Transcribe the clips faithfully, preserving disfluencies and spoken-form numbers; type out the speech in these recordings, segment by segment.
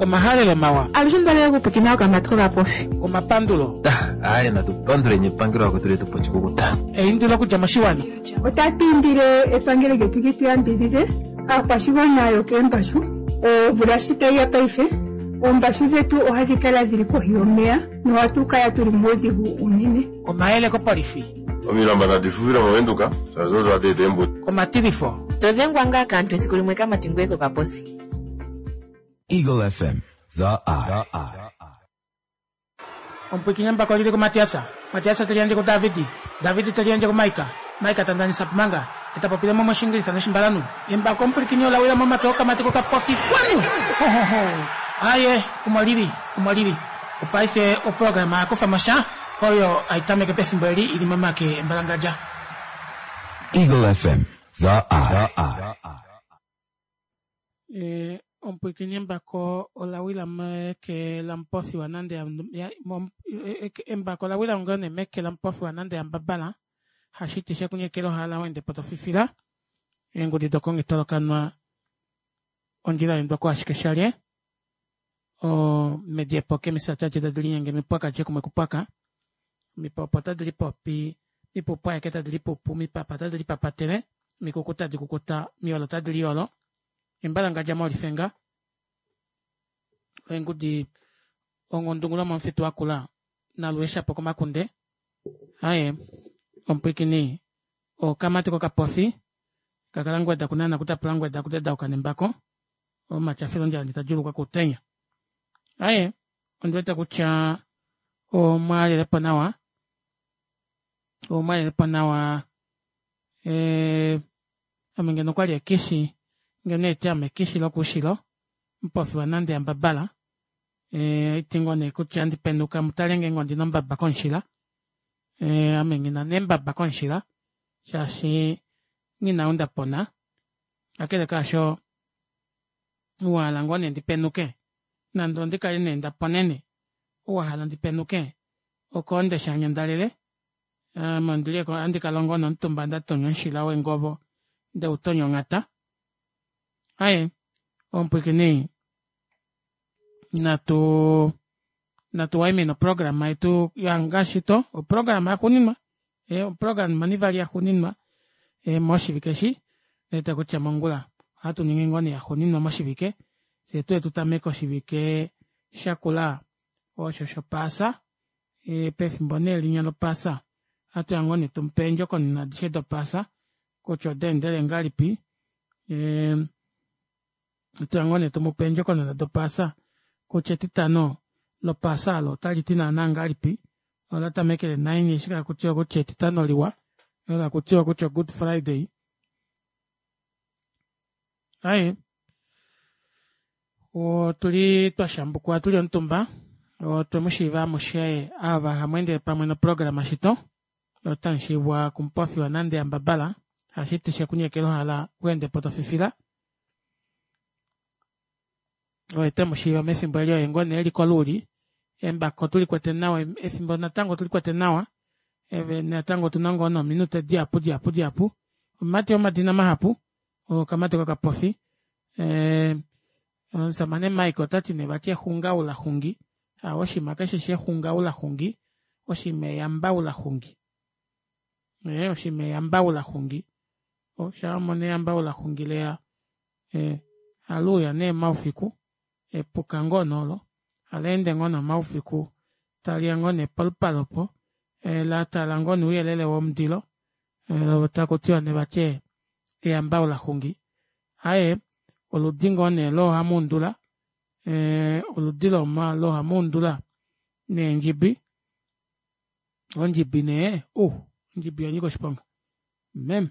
Omahalelo mawa. Alushe mbale okupwikina okamati kokapofi. Omapandulo. Aye natupanduleni epangelo lako tuli tupo chikukuta. Eindilo okudja moshiwana. Otatu indile epangelo lyetu li tu yambidhidhe aakwashigwana yokeembashu omvula shi tayi ya paife oombashu dhetu ohadhi kala dhili kohi yomeya nohatu kala tuli muudhigu unene. Omayele kopolifi. Omilamba nadi fufile movenduka shaashi odo hadi eta eembuto. Omatilifo. To dhengwa ngaa kaantu esiku limwe kamati ngoye kokaposi. Eagle F M, the eye. Omupwikinye mbako lili kuMatiasa. Matiasa te liyandje kuDavidi. Davidi te liyandje kuMaika. Maika ta ndanisa pumanga. Eta popile mo moshingilisa noshimbalanu. Embako omupwikinye ola wila momake okamati kokapofi. Kwanu! Ho, ho, ho. Aye, omo lili, omo lili. Opaife oprograma ya kufa mosha oyo aitameke pefimbo eli ili momake embalangadja. Eagle F M, the eye. Eh, omupwikinye embako ola wila meke la mupofi wa nande ya, ya, mom, e, e, embako ola wila ngone meke la mupofi wa nande ya mbabala hashiti shekunyekelo hala wende potofifila eengudi dokongitolokanwa ondjila yendwa ko ashike shalye o mediepo kemisata tadi linyenge mipwaka jekumwe kupwaka mipopo tadi lipopi mipupu aeke tadi lipupu mipapa tadi lipapatele mikuku tadi kukuta miolo tadi liolo embalangadja molifenga eengudi ongundungulo momufitu wakula nalueshapo komakunde aye omupwikini okamati kokapofi kakala ngweda kunana kutapula ngweda kutedauka nembako omatyafilo ndjala nditajulukwa kutenya aye ondiwete kutya omwalelepo nawa omwalelepo nawa e, ame ngeno okwali ekishi ngeno eti ame ekishi lokuushilo mupofi wa nande yambabala e, iti ngoo nee kutya ndipenduka mutale ngeenge ondina ombaba komushila e, ame ngina nembaba komushila shaashi ngina undapona kakele kaasho wahala ngoo nee ndipenuke nande ondikale nee ndaponene owahala ndipenuke okoonde shanyandalele ame ondili andikala ngoo nomutumba ndatonya omushila wengovo ndeutonya onghata aye omupwikini natu natu waimine oprograma yetu yangashito oprograma yaxuuninwa e, oprograma nivali yaxuuninwa e, moshivike eshi eta kutya mongula ohatu ningi ngoo nee yaxuuninwa moshivike fye tuye tutameke oshivike shakula osho shopaasa e, pefimbo nee linya lopaasa ohatu ya ngoo nee tumupe eendjokonona adishe dopaasa kutya odaendele ngahelipi e, ohatu ya ngoo nee tumupe eendjokonona dopaasa kutya etitano lopaasa olo otaliti naana ngahelipi ola tamekele naini eshi kakutiwa kutya etitano liwa ola kutiwa kutya Good Friday aye otuli twashambukwa tuli omutumba otwe mushiiva amushe ava hamweendele pamwe noprograma shito otamushiivwa kumupofi wa nande yambabala hashiti shekunyekela ohala weende po tofifila oye temushiiva mefimbo eli oye ngoo nee eli koluuli embako tulikwete nawa efimbo natango tulikwete nawa eve natango otuna ngoo nominute dihapu dihapu dihapu omumati womadina mahapu okamati kokapofi e, omusamane Mike otati nee vati exungaula xungi oshima keshe shexungaula xungi oshima eyambaula xungi e, oshima eyambaula xungi oshamona eyambaula xungi leya e, aluuya nee maufiku epuka ngoo noolo aleende ngoo nomaufiku taliya ngoo nee polupale opo e, latala ngoo nouyelele womundilo e, takutiwa nee vati eyambaula xungi aye oludi ngoo nee loohamuundula e, oludi loohamuundula neendjibi ondjibi nee uh ondjibi oyanyika oshiponga meme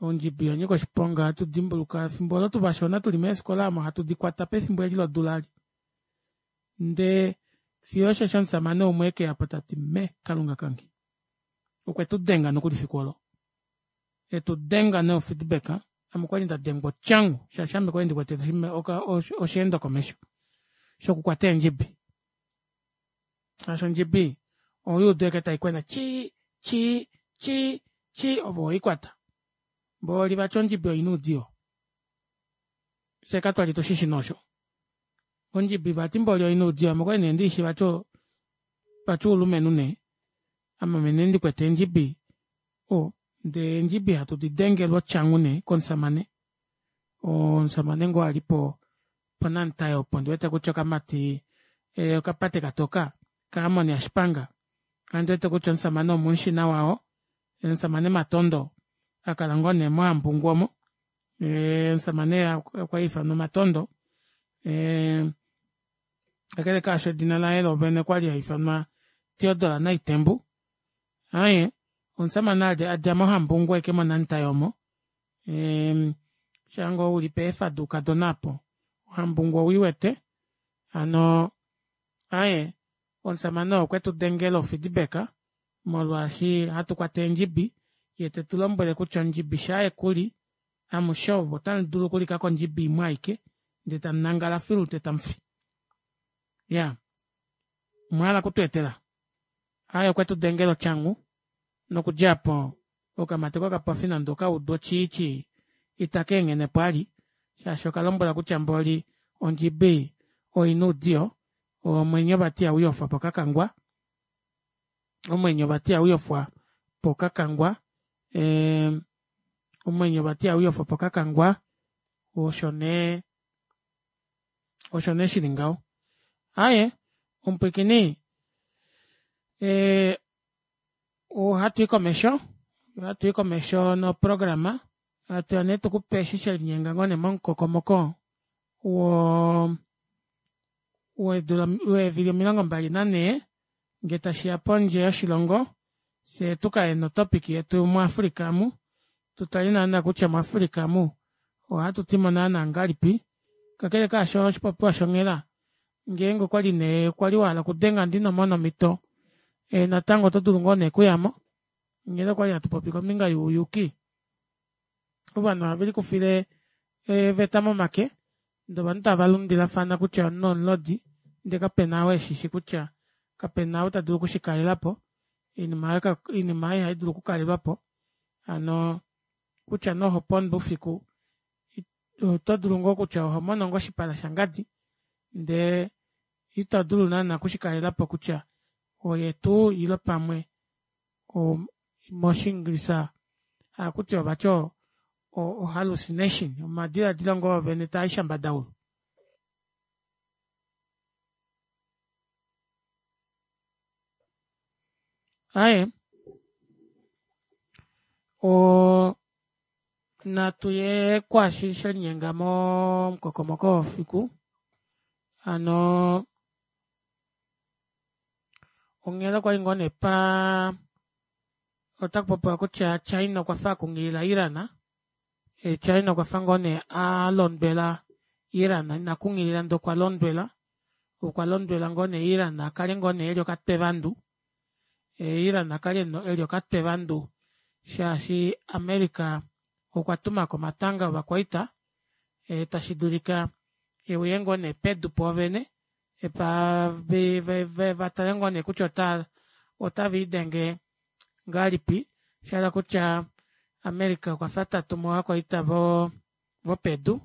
ondjibi oyanyika oshiponga hatu dimbuluka efimbo olo tuvashona tuli meefikola omo hatu dikwata pefimbo eli lodula ali ndee fiyo osheshi omusamane umwe ekeya po tati me kalunga kange okwe tu denga nokuli fiku olo etu denga no feedback ame okwali nda dengwa otyangu shaashi ame kwali ndikwete osheendo komesho shokukwata eendjibi shaashi ondjibi oyuudu eke taikwena chi chi chi chi ove oikwata mboli vati ondjibi oina oudiyo fye katwali tushishi nosho Ondjibi vati mboli oina oudiyo ame okwali nee ndiishi vati vati oulumenhu nee ame nee ndikwete eendjibi oo ndee eendjibi hatu didengelwa otyangu nee komushamane oo omushamane ngoo alipo ponamutai opo ondiwete kutya okamati okapate katoka ka amon yashipanga nghaandiwete kutya omushamane omumushi nawa oo omushamane matondo akala ngoo nee mohampungu omo ee omushamane okwali haifanwa matondo ee kakele kaasho edina laye loovene okwali haifanwa theodore naitembu aaye omushamane adja mohambungu ashike monamutai omo ee shaango uli peefa doukadona aapo ohambungu owiiwete hano aaye omushamane oo okwetu dengela o feedback molwaashi hatukwata eendjibi yee tetulombwele kutya ondjibi shaa yekuli amushe ovo otamudulu okulika kondjibi imwe aike ndee tamunangala filu ndee tamufi iyaa omwahala okutweetela aaye okwetu dengela otyangu nokudja aapo okamati kokapofi nande okaudu otjiitjii ita keenghenepo vali shaashi okalombwelwa kutya mboli ondjibi oina oudiyo omwenyo vati ihauyofwa pokakangwa omwenyo vati ihauyofwa pokakangwa ee omwenyo vati ihauyofwa pokakangwa osho nee osho nee shili ngaho aaye omupwiikini ee ohatwii komesho ohatwii komesho noprograma hatuya nee tukupe eshi shelinyenga ngoo nee momukokomoko woo weevili omilongo mbali nanhee ngee tashiya pondje yoshilongo fyee tukaye no topic yetu mu africa amu tutale naana kutya mu africa omu ohatutimo naana ngahelipi kakele kaasho oshipopiwa shonghela ngeenge okwali nee kwali wahala okudenga ndee inomona omito natango oto dulu ngoo nee okuyamo onghela okwali hatupopi kombinga youyuki ovanhu ohavelikufile eeveta momake ndee ovanhu tava lundilafana kutya omunhu omulodi ndee kapena ou eshishi kutya kapena ou tadulu okushikalelapo oinima aayo ihaidulu okukalelwapo hano kutya nee ohopondwa oufiku otodulu ngoo kutya ohomono ngoo oshipala shangadi ndee itodulu naana okushikalelapo kutya oye tuu ile pamwe moshingilisa ohakutiwa vati o hallucination omadilaadilo ngoo oovene taai shambadaulu. Aaye oo natuye kwaashi shelinyenga momukokomoko wefiku hano onghela okwali ngoo nee paa otakupopiwa kutya china okwafa akunghilila iran china okwafa ngoo nee alondwela iran ina kunghilila ndee okwa londwela okwa londwela ngoo nee iran akale ngoo nee eli okatwe vandu iran akale eli okatwe vandu shaashi america okwa tumako omatanga ovakwaita tashidulika euye ngoo nee pedu poovene vatale ngoo nee kutya otaviidenge ngahelipi oshahala kutya america okwafa tatumu ovakwaita vopedu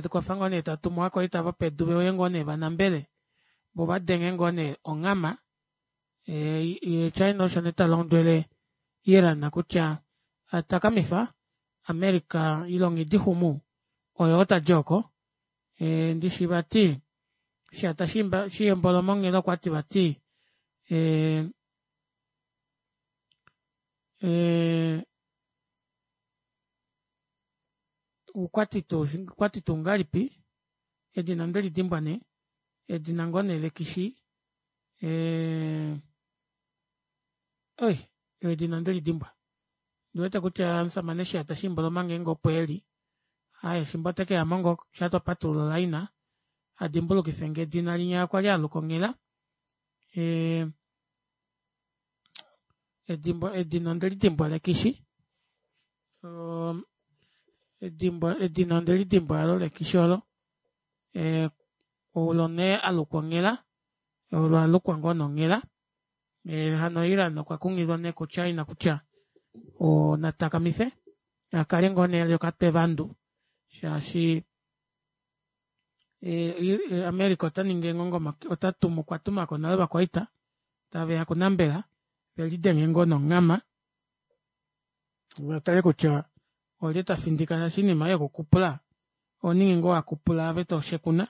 okwafa ngoo nee tatumu ovakwaita vopedu veuye ngoo nee vanambele voo vadenge ngoo nee onghama yee china osho nee talondwele iran kutya takamifa america ile onghidi xumu oyoo tadi ooko ndishi vati shata shiimboloma onghela okwati vati ee ee okwati tuu ngahelipi edina ondelidimbwa nee edina ngoo nee lekishi ee oi edina ondelidimbwa ondiwete kutya omushamane shiyata shiimboloma ngeenge opo eli aaye efimbo otekeyamo ngoo shaa twapatulula o line adimbulukifenge edina linya kwali aluka onghela ee edina ondelidimbwa lekishi oo edina ondelidimbwa aalo lekishi oolo ee olo nee alukwa onghela olo alukwa ngoo nee onghela hano iran okwa kunghililwa nee ku china kutya natakamife akale ngoo nee eli okatwe vandu shaashi America otaningi eengongo otatumu okwatumako nale ovakwaita taveya okunambela velidenge ngoo nonghama vatale kutya olye tafindika shaashi oinima ei yokukupula ohoningi ngoo wakupula ove toshekuna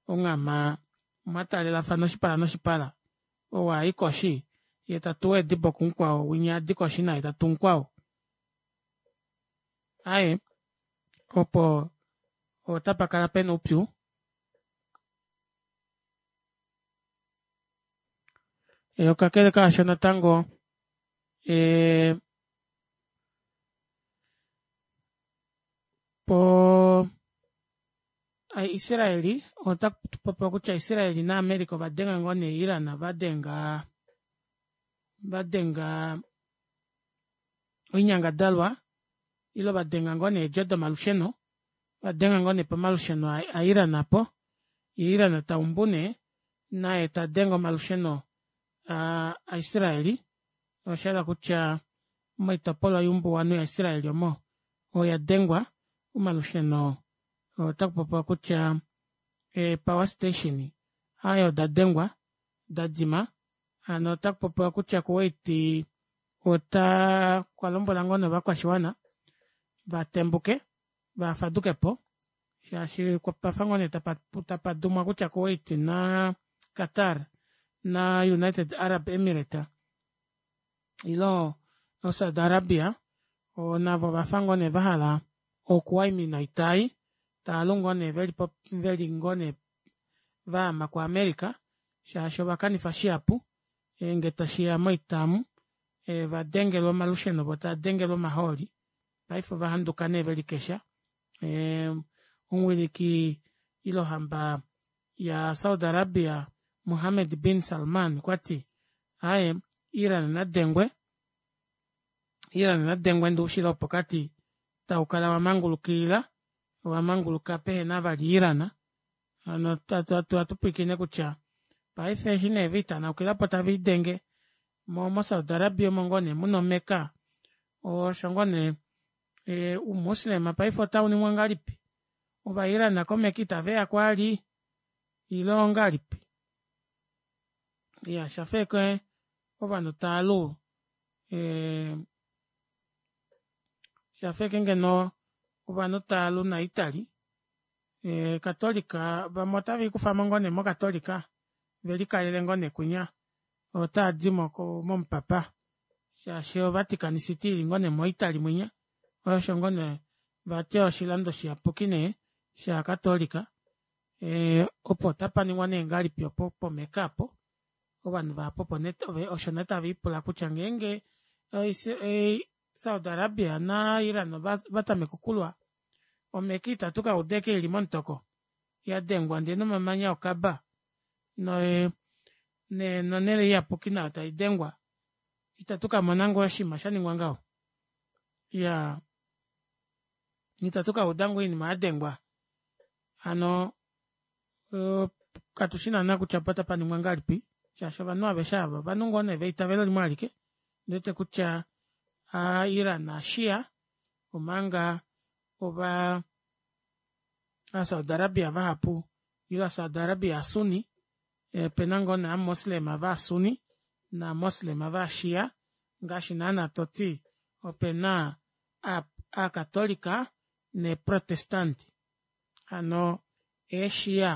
onghama mwataalelafana oshipala noshipala ou ayi koshi yee tatuwa eedibo kumukwao winya adi koshi naye tatu mukwao aaye opo otapakala pena oupyu. Kakele kaasho natango ee poo israel otakupopiwa kutya israel na america ovadenga ngoo nee iran vadenga vadenga oinyangadalwa ile vadenga ngoo nee eedjo domalusheno ovadenga ngoo nee pomalusheno a iran aapo yee iran taumbu nee naye tadenge omalusheno aa aisraeli oshahala kutya moitopolwa youmbuwanhu ya israel omo oyadengwa omalusheno otakupopiwa kutya ee power station aaye odadengwa dadima hano otakupopiwa kutya kuwait otaa okwalombwela ngoo nee ovakwashiwana vatembuke vafadukepo shaashi opwafa ngoo nee tapadumwa kutya kuwait na qatar na united arab emirate ilo saudi arabia navo ovafa ngoo nee vahala okuwaimina oita ei taalu ngoo nee veli ngoo nee vaama ku america shaashi ovakanifa shihapu ngee tashiya moita omu ovadengelwa omalusheno voo tavadengelwa omahooli paife ovahanduka nee velikesha ee omuwiliki ile ohamba ya saudi arabia mohammed bin salman okwati aaye iran nadengwe iran nadengwe ndee oushilo wopokati taukala wamangulukilila wamanguluka pehena vali iran hano atupwiikine kutya paife eshi nee vitanaukilapo taviidenge moo mo saudi arabia omo ngoo nee muna o mecca osho ngoo nee oumuslim paife otauningwa ngahelipi ova iran ko mecca itaveyako vali ile ongahelipi iyaa oshafa ashike ovanhu taalu ee oshafa ashike ngeno ovanhu taalu na italy catolic vamwe otaviikufamo ngoo nee mo catolica velikalele ngoo neekunya otaadimo momupapa shaashi o vatican city ili ngoo nee mo italy munya osho ngoo nee vati oshilando shiyapuki nee sha catolica ee opo otapaningwa nee ngahelipi opo po mecca aapo ovanhu vahapu osho nee taviipula kutya ngeenge saudi arabia na iran ovatameke okulwa o mecca ita tukauda ashike ili momutoko yadengwa ndee nomamanya okaba noye nonele iyapuki nayo taidengwa ita tukamona ngoo oshinima shaningwa ngaho iyaa ita tukauda ngoo oinima yadengwa hano katushi naana kutya otapaningwa ngahelipi shaashi ovanhu aveshe aava ovanhu ngoo nee veitavelo limwe alike ondiwete kutya aa iran oshia omanga ovaa saudi arabia vahapu ile ova saudi arabia ovasunni opena ngoo nee ovamuslim va sunni nova muslim vaa shia ngaashi naana toti opena aacatolica nee protestant hano eeshia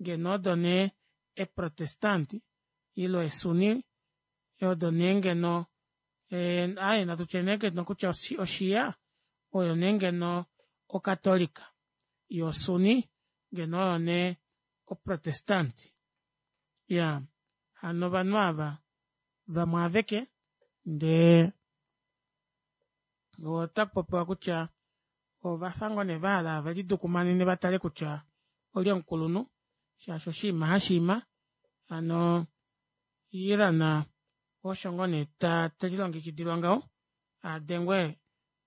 ngeno odo nee ee protestant ile eesuni odo nee ngeno aaye natutye nee ngeno kutya oshia oyo nee ngeno o catolica yoo osuni ngeno oyo nee o protestant iyaa hano ovanhu aava vamwe aveke ndee otakupopiwa kutya ovafa ngoo nee vahala velidukumanene vatale kutya olye omukulunhu shaashi oshiima hashiima hano iran osho ngoo nee telilongekidilwa ngaho adengwe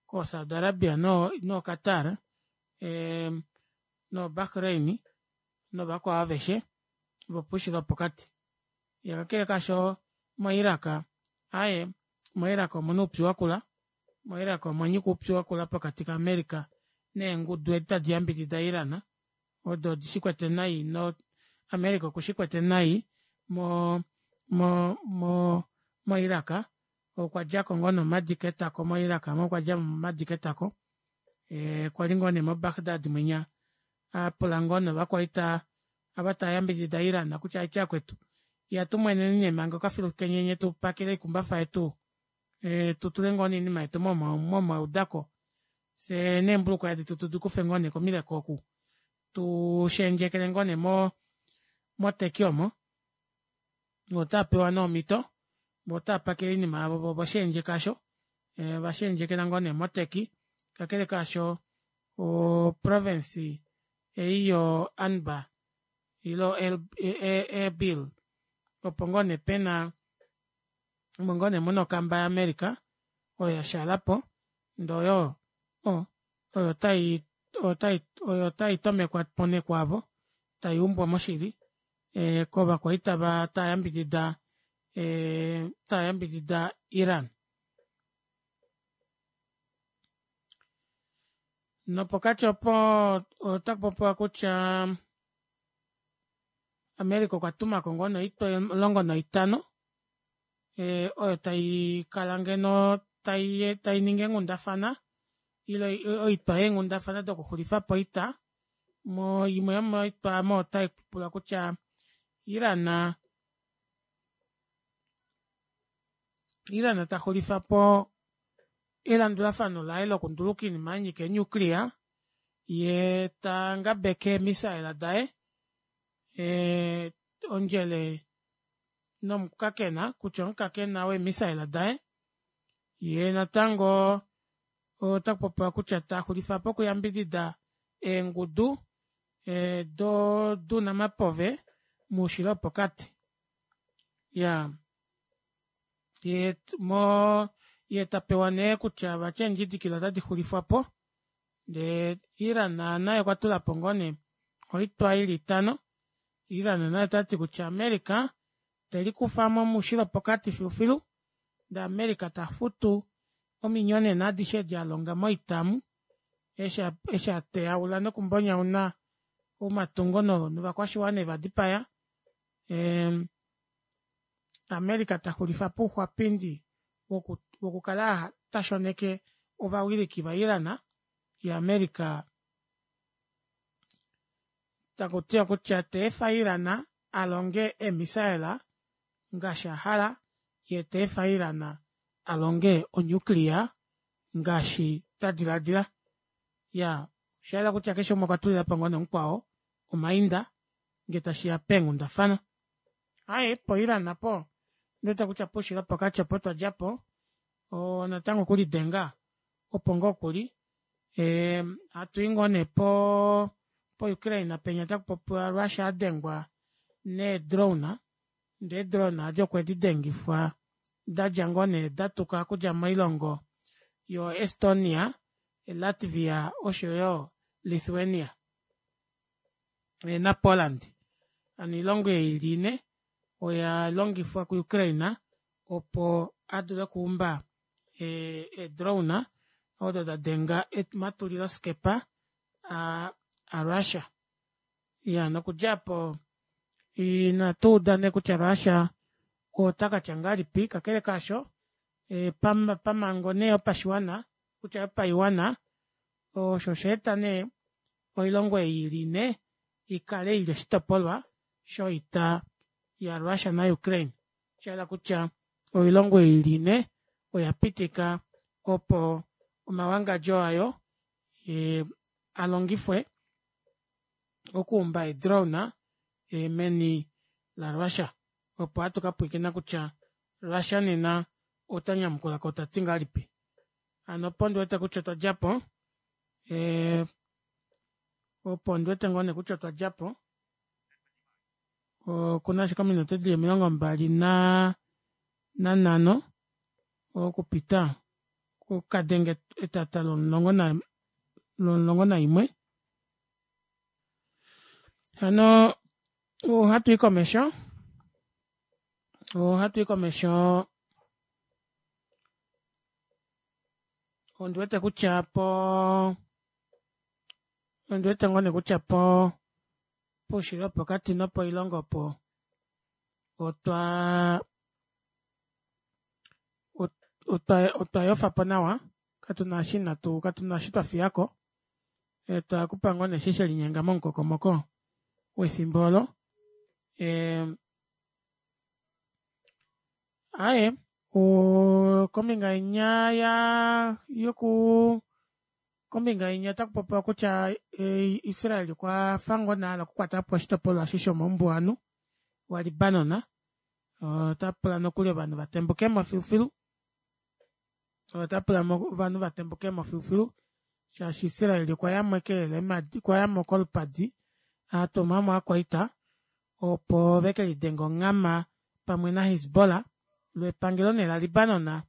koo saudi arabia noo qatar ee no bahrain novakwao aveshe vopoushilo wopokati kakele kaasho mo iraq aaye mo iraq omuna oupyu wakula mo iraq omwanyika oupyu wakula pokati ka america neengudu edi tadi yambidida iran Odo odishikwete nai no America okushikwete nai mo mo mo mo Iraq okwadjako ngoo nee omadi ketako mo Iraq aamo okwadja omadi ketako ee kwali ngoo nee mo Baghdad mwinya apula ngoo nee ovakwaita ava tavayambidida Iran kutya aikye vakwetu ihatumweneni nee manga okafilu kenya nyee tupakele oikumbafa yetu tutule ngoo nee oinima yetu momaudako fyee neembulukweya detu tudikufe ngoo nee komileko oku tuushendjekele ngoo nee mo Turkey omo otaapewa nee omito voo otaapakele oinima yavo voo ovashendjeka aasho ovashendjekela ngoo nee mo turkey kakele kaasho o province ei yo anbar ile airbill opo ngoo nee pena omo ngoo nee muna okamba ya america oyo yashaalapo ndee oyo oyo taitomekwapo nee kwaavo tayuumbwa moshili kovakwaita tavayambidida ee tavayambidida Iran. Nopokati opo otakupopiwa kutya America okwatumako ngoo nee oitwa omulongo naitano oyo taikala ngeno tainingi eenghundafana ile oitwa yeenghundafana dokuxulifapo oita imwe yomoitwa aamo otaipula kutya Iran Iran taxulifapo elandulafano laye lokunduluka oinima yanyika ee nuclear yee tangabeke ee missile daye ee ondjele nomukakena kutya omukakena wee missile daye yee natango otakupopiwa kutya taxulifapo okuyambidida eengudu dounamapove moushilo wopokati iyaa moo yee tapewa nee kutya vati eendjidikila ota dixulifwapo ndee iran naye okwatulapo ngoo nee oitwa ili itano iran naye otati kutya america telikufamo moushilo wopokati filufilu ndee america tafutu ominyonena adishe edi alonga moita omu eshi ateyaula noku mbonyauna omatungo novakwashiwana evadipaya ee america taxulifapo ouxwapindi wokukala tashoneke ovawiliki va iran yee america takutiwa kutya teefa iran alonge ee missile ngaashi ahala yee teefa iran alonge o nuclear ngaashi tadilaadila iyaa oshayela kutya keshe umwe okwa tulilapo ngoo nee mukwao omainda ngee tashiya peenghundafana aaye po iran aapo ondiwete kutya poushilo wopokati opo twadjapo oo natango okulidenga opo ngoo kuli hatui ngoo nee poo ukraine penya takupopiwa russia adengwa nee drone ndee ee drone aadi okwe didengifwa dadja ngoo nee datuka okudja moilongo yo estonia latvia oshoyo lithuania na poland hano oilongo ei ili inhe oya longifwa ku ukraine opo adule okuumba ee drone odo dadenga omatulilo skepa a russia iyaa nokudja aapo inatuuda nee kutya russia otakatya ngahelipi kakele kaasho pamhango nee yopashiwana kutya yopaiwana osho oshaeta nee oilongo ei ili inhe ikale ili oshitopolwa shoita ya russia na ukraine shayela kutya oilongo ei ili inhe oyapitika opo omawangadjo ayo alongifwe okuumba ee drone meni la russia opo hatu kapwilikina kutya russia nena otanyamukulako tati ngahelipi hano opo ndiwete kutya otwa djapo ee opo ondiwete ngoo nee kutya otwa djapo okuna ashike ominute dili omilongo mbali naa nanhano okupita okukadenge etata lomulongo lomulongo naimwe hano ohatwii komesho ohatwii komesho ondiwete kutya poo ondiwete ngoo nee kutya poo Poushilo wopokati nopoilongo opo otwa otwa otwa yofapo nawa katuna eshi inatu katuna eshi twafiyako twakupa ngoo nee eshi shelinyenga momukokomoko wefimbo olo ee aaye kombinga inya yaa yoku kombinga inya otakupopiwa kutya Israel okwafa ngoo nee ahala okukwatapo oshitopolwa eshi shomoumbuwanhu wa Libanon otapula nokuli ovanhu vatembukemo filufilu otapula ovanhu vatembukemo filufilu shaashi Israel okwayamo ekelela eemadi okwayamo kolupadi atumamo ovakwaita opo vekelidenge onghama pamwe na Hezbollah loo epangelo nee la Libanon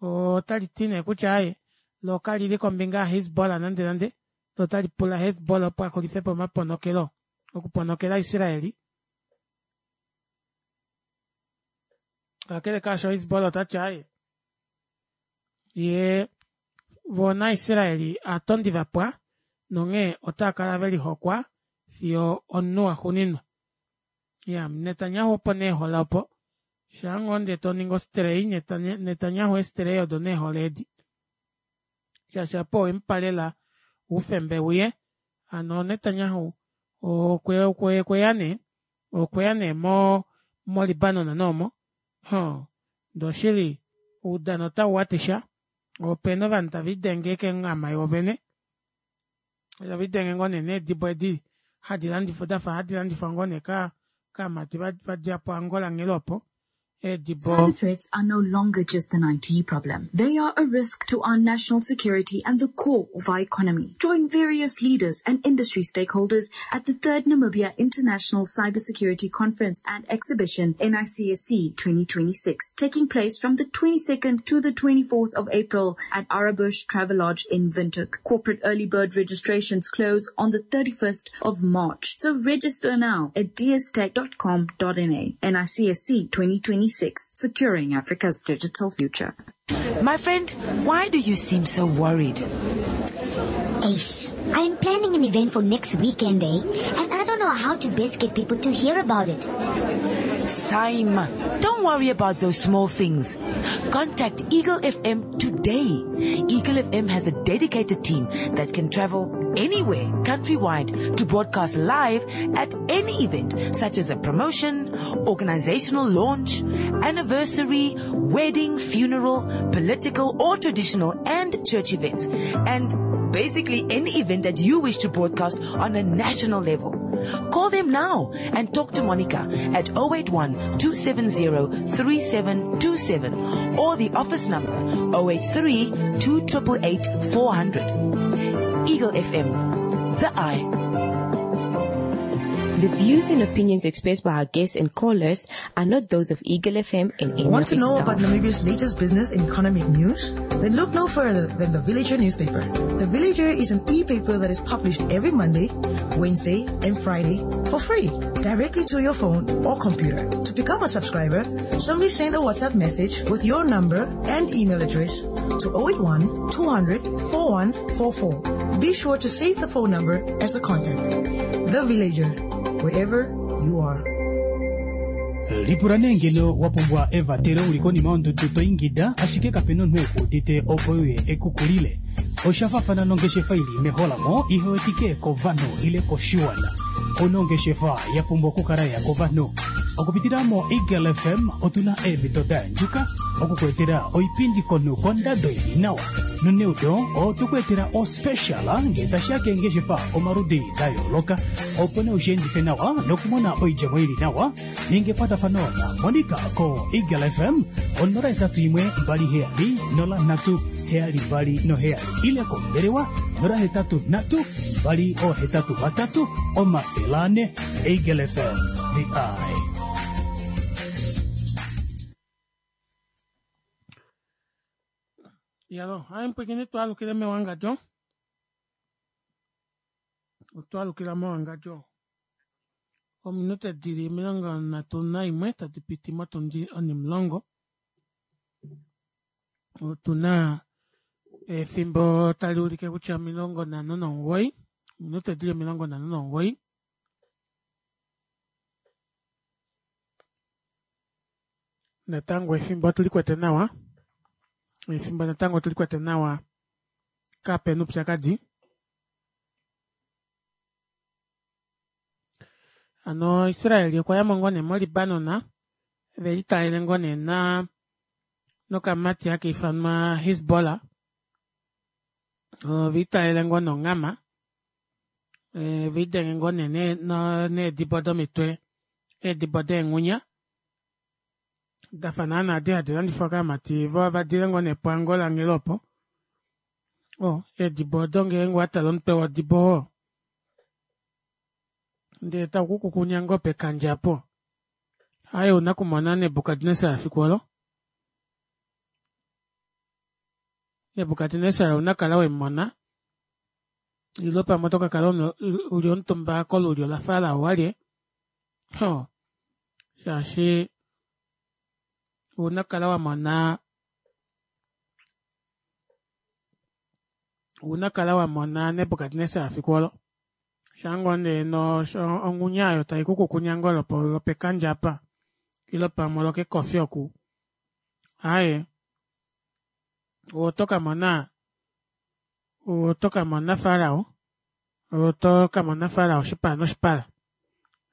otaliti nee kutya aaye loo kalili kombinga ya Hezbollah nande nande loo otalipula Hezbollah opo axulifepo omaponokelo okuponokela Israel. Kakele kaasho Hezbollah otati aaye yee voo na Israel aatondi vapwa nonghee otaakala velihokwa fiyo omunhu waxuuninwa. Iyaa Netanyahu opo nee ehole opo shaangoo ndee toningi ostrey Netanyahu eestrey odo nee ehole edi shaashi aapo owemupa lela oufemba euye hano Netanyahu okweya nee okweya nee mo mo Libanon noomo hoo ndee oshili oudano ota uwatisha opena ovanhu tavelidenge keenghama voovene tavelidenge ngoo nee needibo edi hadi landifwa dafa hadi landifwa ngoo nee kaamati vadja po Angola nghela opo eedibo Cyber threats are no longer just an I T problem. They are a risk to our national security and the core of our economy. Join various leaders and industry stakeholders at the third Namibia International Cybersecurity Conference and Exhibition, N I C S C twenty twenty-six, taking place from the twenty-second to the twenty-fourth of April at Arabush Travelodge in Windhoek. Corporate early bird registrations close on the thirty-first of March. So register now at d s tech dot com dot n a. N I C S C twenty twenty-six. Securing Africa's digital future. My friend, why do you seem so worried? Ace, I'm planning an event for next weekend, eh? And I don't know how to best get people to hear about it. Sime, don't worry about those small things. Contact Eagle F M today. Eagle F M has a dedicated team that can travel anywhere countrywide to broadcast live at any event, such as a promotion, organizational launch, anniversary, wedding, funeral, political or traditional and church events, and basically any event that you wish to broadcast on a national level. Call them now and talk to Monica at oh eight one, two seven zero, three seven two seven or the office number oh eight three, two triple eight, four hundred. Eagle F M, the eye. The views and opinions expressed by our guests and callers are not those of Eagle F M and any Want of to its know staff. about Namibia's latest business and economic news? Then look no further than The Villager newspaper. The Villager is an e-paper that is published every Monday, Wednesday, and Friday for free, directly to your phone or computer. To become a subscriber, simply send a WhatsApp message with your number and email address to oh eight one, two hundred, four one four four. Be sure to save the phone number as a contact. The Villager, wherever you are. Lipula nee ngeno wa pumbwa evatelo uli konima yondudu to ingida, ashike kapena omunhu ekuudite opo uye ekukulile. Osha faafana nongeshefa ili meholamo ihewetike kovanhu ile koshiwana. Onongeshefa ya pumbwa okukala ya kovanhu. Okupitila mo Eagle F M otuna eemhito da yandjuka okukuetela oipindi konhu kondado ili nawa. Noneudo otukuetela ospecial ngee tashiya keengeshefa omaludi da yooloka, opo nee ushiendife nawa nokumona oidjemo ili nawa. Ninga ekwatafano na Monica ko Eagle F M onola etatu imwe mbali heyali nola nhatu heyali mbali noheyali ile kombelewa nola hetatu nhatu mbali ohetatu vatatu omafele ane. Eagle F M, the eye. Yalo, hayi mpwikini twalukile mewangadjo. Otwalukila mewangadjo. Ominute dili omilongo nhatu naimwe tadi piti motundi onimulongo. Otuna efimbo tali ulike kutya omilongo nhano nomugoyi. Ominute dili omilongo nhano nomugoyi. Natango efimbo otulikwete nawa, efimbo natango otulikwete nawa kapena oupyakadi. Hano Israel okwayamo ngoo nee mo Libanon velitalele ngoo nee na nokamati haka ifanwa Hezbollah, oviitalele ngoo nonghama velidenge ngoo nee needibo domitwe, eedibo deenghunya dafa naana edi hadi landifwa kaamati vadile ngoo nee po Angola onghela opo. Oo eedibo odo ngeenge owatale omutwe wodibo oo ndee taukukukunya ngoo pekandja aapo, aaye ouna okumona Nebukadnesar efiku oolo. Nebukadnesar ouna okukala wemumona ile pamwe otokakala uli omutumba kolulyo la Farao walye, hoo shaashi ouna okukala wamona ouna okukala wamona Nebukadnesar efiku oolo shaangoo nee onghunya aayo taikukukunya ngoo lwopekandja aapa ile pamwe olwokekofi oku, aaye otokamona otokamona Farao otokamona Farao oshipala noshipala.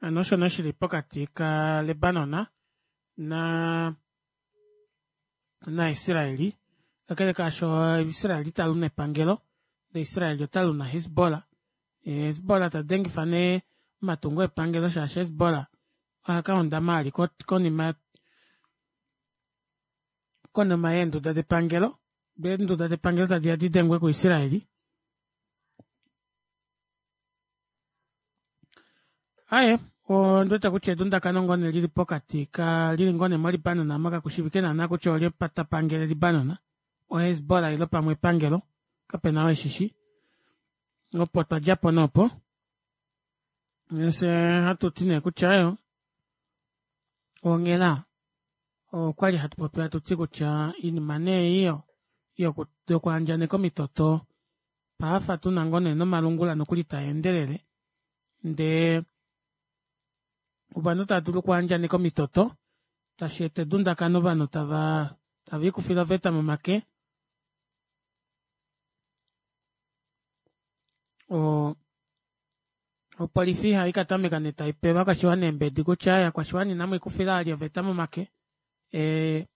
Hano osho nee shili pokati ka Libanon naa naIsraeli, kakele kaasho Israel italu nepangelo ndee Israel otalu na Hezbollah. Hezbollah tadengifa nee omatungo epangelo shaashi Hezbollah ohakahondama vali konima konima yeenduda depangelo dee eenduda depangelo tadiya didengwe ku Israeli. Aaye ondiwete kutya edundakano ngoo nee lili pokati ka lili ngoo nee mo Libanon aamo kakushiivike naana kutya olye tapangele Libanon, o Hezbollah ile pamwe epangelo, kapena oo eshishi. Opo twadjapo nee opo fyee ohatuti nee kutya aaye onghela okwali hatupopi hatuti kutya oinima nee ei yokwaandjaneka omitoto pahafa tuna ngoo nee nomalungula nokuli taendelele ndee ovanhu tava dulu okwaandjaneka omitoto tasheeta edundakano ovanhu tava taviikufile oveta momake oo opolifi haikatameka nee taipe ovakwashiwana eembedi kutya aaye ovakwashiwana inamwiikufila vali oveta momake ee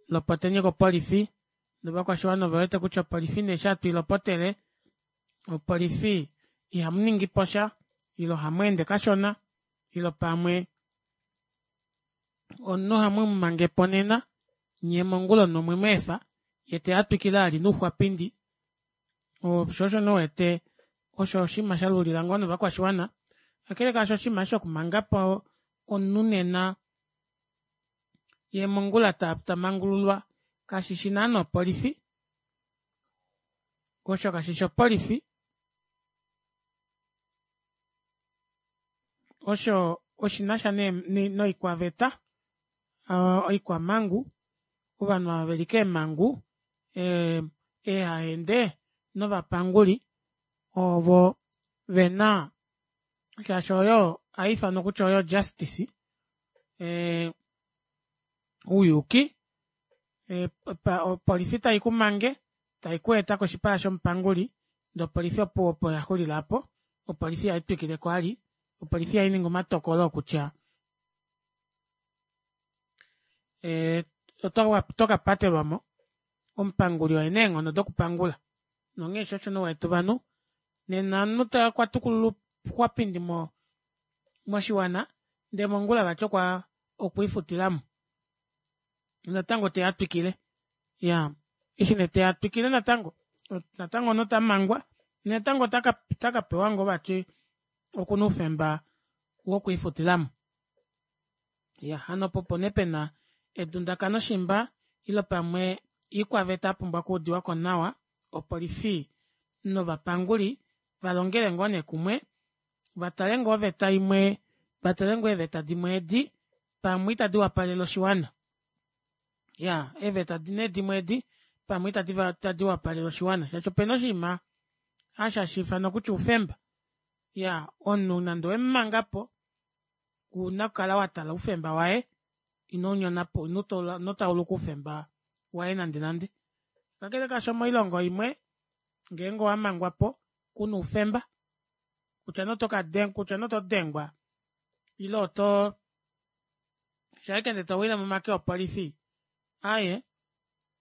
lopoteni kopolifi ndee ovakwashiwana ovewete kutya opolifi nee eshi hatu ilopotele opolifi ihamuningiposha ile ohamweende kashona ile pamwe omunhu ohamumumangepo nena nyee mongula omunhu omwemweefa yeeteya atwikile vali nouxwapindi, shoo osho nee uwete osho oshinima shalulila ngoo nee ovakwashiwana. Kakele kaasho oshinima eshi shokumangapo omunhu nena yee mongula tamangululwa kashishi naana opolifi, osho kashishi opolifi, osho oshinasha nee noikwaveta oikwamangu ovanhu ava veli keemangu eehahende novapanguli ovo vena shaashi oyo ohaifanwa kutya oyo justice ee ouyuuki, opolifi taikumange taikweeta koshipala shomupanguli ndee opolifi opuwo opo yaxulila aapo opolifi ihaitwikileko vali opolifi ihainingi omatokolo oo kutya otokapatelwamo omupanguli okuna eenghono dokupangula nonghee shoo osho nee uwete ovanhu nena omunhu okwa tukulula ouxwapindi moshiwana ndee mongula vati okwiifutilamo natango teya atwikile iyaa eshi nee teya atwikile natango natango omunhu otamangwa natango otakapewa ngoo vati okuna oufemba wokwiifutilamo. Iya hano opo opo nee pena edundakano shimba ile pamwe oikwaveta yapumbwa okuudiwako nawa opolifi novapanguli valongele ngoo nee kumwe vatale ngoo oveta imwe vatale ngoo eeveta dimwe edi pamwe ita diwapalele oshiwana. Iyaa eeveta nee dimwe edi pamwe itadi wapalele oshiwana shaashi opena oshinima osho hashiifanwa kutya oufemba. Iyaa omunhu nande owemumangapo ouna okukala watala oufemba waye Ino unyonapo ino tauluka oufemba waye nande nande. Kakele kaasho moilongo imwe ngeenge owamangwapo kuna oufemba kutya nee otoka kutya nee oto dengwa ile otoo shaike nee towile momake opolifi aaye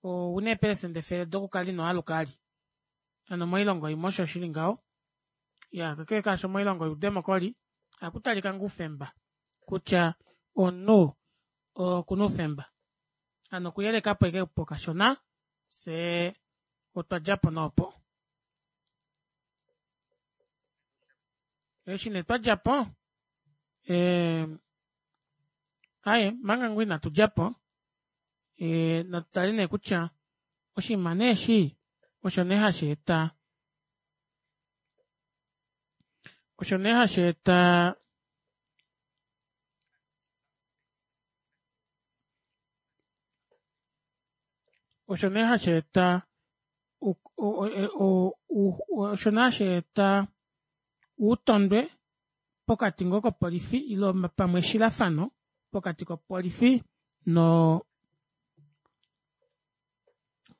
ouna eeprecenter efele dokukala inwaaluka vali hano moilongo imwe osho shili ngaho. Iyaa kakele kaasho moilongo youdemocry ohakutalika ngoo oufemba kutya omunhu okuna oufemba hano okuyelekapo ashike opo kashona fyee otwadjapo nee opo. Eshi nee twadjapo ee aaye omanga ngoo ina tudjapo ee natutale nee kutya oshinima nee eshi osho nee hasheeta osho nee hasheeta osho nee hasheeta osho nee hasheeta outondwe pokati ngoo kopolifi ile pamwe eshilafano pokati kopolifi noo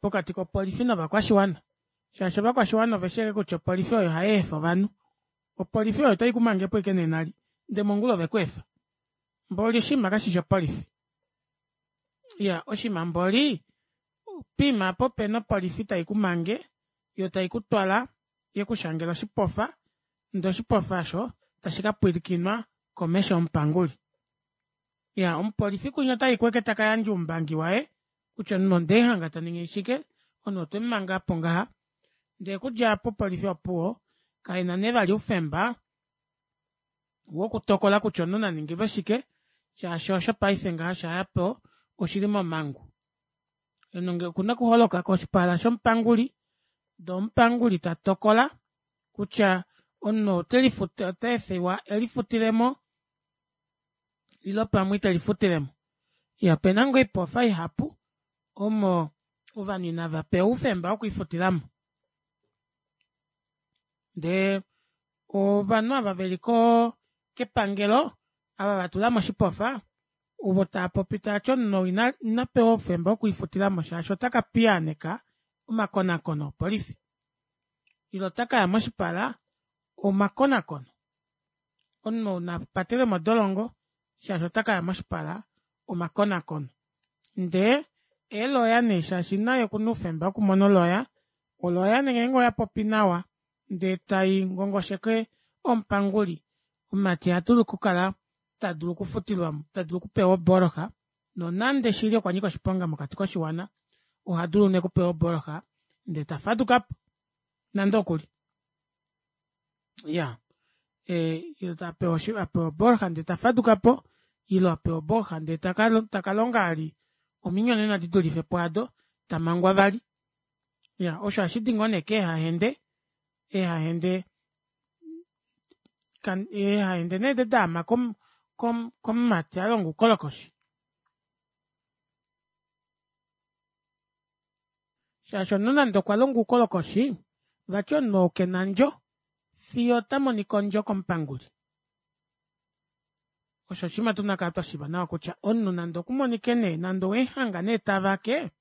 pokati kopolifi novakwashiwana shaashi ovakwashiwana oveshi ashike kutya opolifi oyo hayeefa ovanhu opolifi oyo taikumangepo ashike nee nali ndee mongula ovekweefa mboli oshinima kashishi opolifi iyaa oshinima mboli poima aapo pena opolifi taikumange yoo taikutwala yekushangela oshipofa ndee oshipofa aasho tashi kapwilikinwa komesho yomupanguli. Iyaa omupolifi kunya otayiko ashike takayandja oumbangi waye kutya omunhu ondemuhanga taningi shike omunhu otwemumanga opo ngaha ndee okudja aapo opolifi opuwo kaina nee vali oufemba wokutokola kutya omunhu naningilwe shike shaashi osho paife ngaha oshayapo oshili momangu. Omunhu okuna okuholoka koshipala shomupanguli ndee omupanguli tatokola kutya omunhu ou otaefewa elifutilemo ile pamwe itelifutilemo. Iyaa opena ngoo oipofa ihapu omo ovanhu inavapewa oufemba wokwiifutilamo ndee ovanhu ava veli koo kepangelo ava vatulamo oshipofa ovo taapopi taati omunhu ou inapewa oufemba wokwiifutilamo shaashi otaka piyaaneka omakonakono opolifi ile otakaya moshipala omakonakono. Omunhu ou napatelwe modolongo shaashi otakaya moshipala omakonakono ndee eelawyer nee shaashi naye okuna oufemba wokumona o lawyer o lawyer nee ngenge oyapopi nawa ndee tai ngongosheke omupanguli omumati ohadulu okukala tadulu okufutilwamo tadulu okupewa oboloxa nonande shili okwanyika oshiponga mokati koshiwana ohadulu nee okupewa oboloxa ndee tafadukapo nande okuli iyaa ee apewa oboloxa ndee tafadukapo ile apewa obooxa ndee takalonga vali ominyonena didulife pwaado tamangwa vali. Iyaa osho ohashidi ngoo nee keehahende eehahende eehahende nee edi daama komumati alonga oukolokoshi shaashi omunhu nande okwalonga oukolokoshi vati omunhu ou kena ondjo fiyo otamonika ondjo komupanguli. Osho oshinima tuna okukala twashiiva nawa kutya omunhu nande okumonike nee nande owemuhanga nee tavake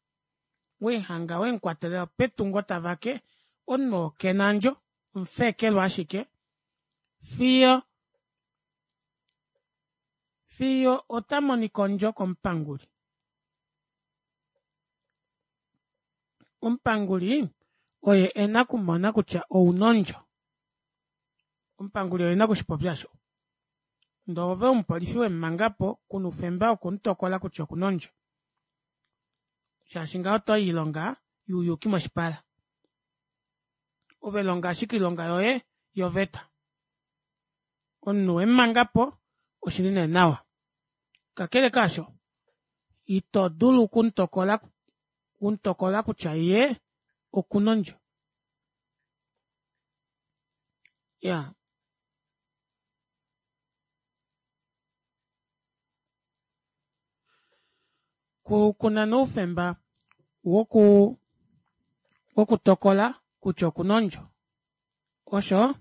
wemuhanga wemukwatela petungo tavake omunhu oo kena ondjo omufeekelwa ashike fiyo fiyo otamonika ondjo komupanguli. Omupanguli oye ena okumona kutya ouna ondjo. Omupanguli oye ena okushipopya aasho ndee ove omupolifi wemumangapo kuna oufemba wokumutokola kutya okuna ondjo shaashi ngaho otoyi oilonga youyuuki moshipala. Ove longa ashike oilonga yoye yoveta. Omunhu wemumangapo oshili nee nawa. Kakele kaasho ito dulu okumutokola okumutokola kutya yee okuna ondjo. Iyaa kuna nee oufemba woku wokutokola kutya okuna ondjo osho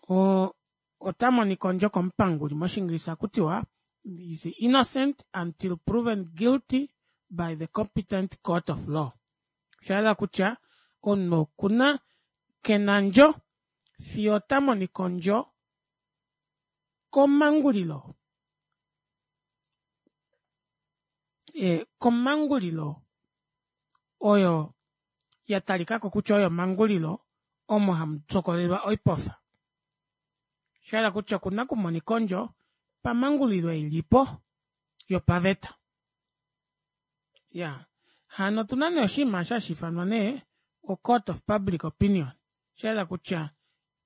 oo otamonika ondjo komupanguli moshingilisa ohakutiwa Is innocent until proven guilty by the competent court of law. Osha kutya omunhu okuna kena ondjo fiyo ota monika ondjo komangulilo e komangulilo oyo yatalikako kutya oyo omangulilo omo hamutokolelwa oipofa. Oshahala kutya okuna okumonika ondjo pamangulilo ilipo yopaveta. Iyaa hano otuna nee oshinima aasho hashiifanwa nee o court of public opinion oshahala kutya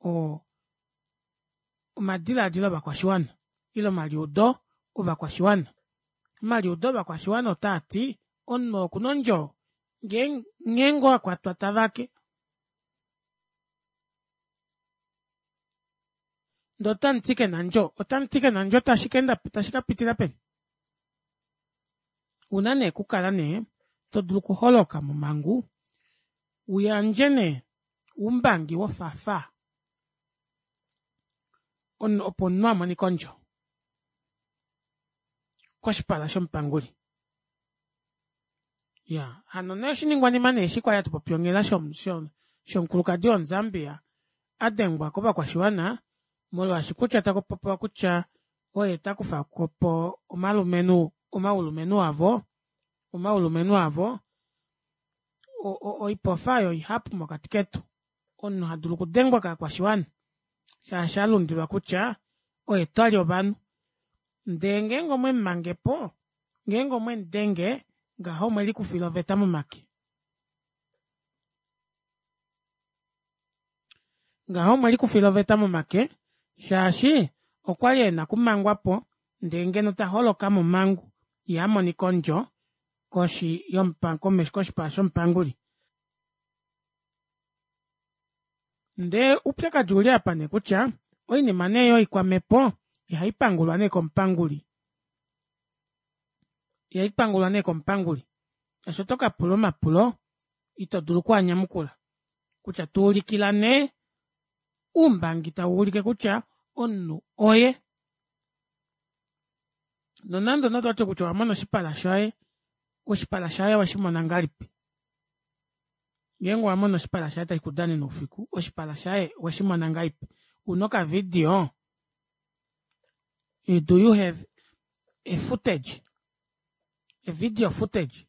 oo omadilaadilo ovakwashiwana ile omaliudo ovakwashiwana. Omaliudo ovakwashiwana otaati omunhu oo okuna ondjo nghee ngoo akwatwa tavake ndee otamuti kena ondjo otamuti kena ondjo tashikapitila peni? Ouna nee okukala nee todulu okuholoka momangu uyandje nee oumbangi wofaafaa opo omunhu amonike ondjo koshipala shomupanguli. Iyaa hano nee oshiningwanima nee eshi kwali hatupopi onghela shomukulukadi womu Zambia adengwa kovakwashiwana molwaashi kutya takupopiwa kutya oye takufapo omalumenhu omaulumenhu avo omaulumenhu avo oipofa aayo oihapu mokati ketu omunhu hadulu okudengwa kovakwashiwana shaashi alundilwa kutya oye tali ovanhu ndee ngeenge omwemumangepo ngeenge omwemudenge ngaho omwelikufila oveta momake. Ngaho omwelikufila oveta momake shaashi okwali ena okumangwapo ndee ngeno taholoka momangu yee amonika ondjo koshi koshipala shomupanguli. Ndee oupyakadi ouli aapa nee kutya oinima nee yoikwamepo ihaipangulwa nee komupanguli, ihaipangulwa nee komupanguli shaashi otokapula omapulo ito dulu okwaanyamukula kutya tuulikila nee oumbangi tawuulike kutya omunhu oye. Nonande nee ototi kutya owamona oshipala shaye, oshipala shaye oweshimona ngahelipi? Ngeenge owamona oshipala shaye tashikudanene oufiku oshipala shaye oweshimona ngahelipi? Una oka video? Do you have a footage, a video footage,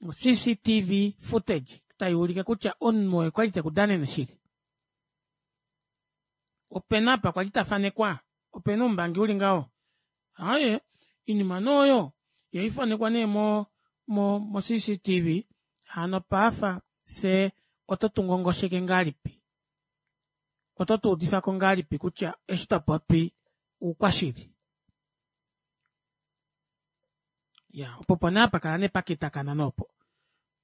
o C C T V footage tayuulike kutya omunhu oye kwali tekudanene shili? Opena apa kwali tafanekwa? Opena oumbangi uli ngaho? Aaye oinima nee oyo ihaifanekwa nee mo mo C C T V hano paafa fyee oto tungongosheke ngahelipi? Oto tuudifako ngahelipi kutya eshi topopi oukwashili? Iyaa opo opo nee hapakala nee pakitakana nee opo.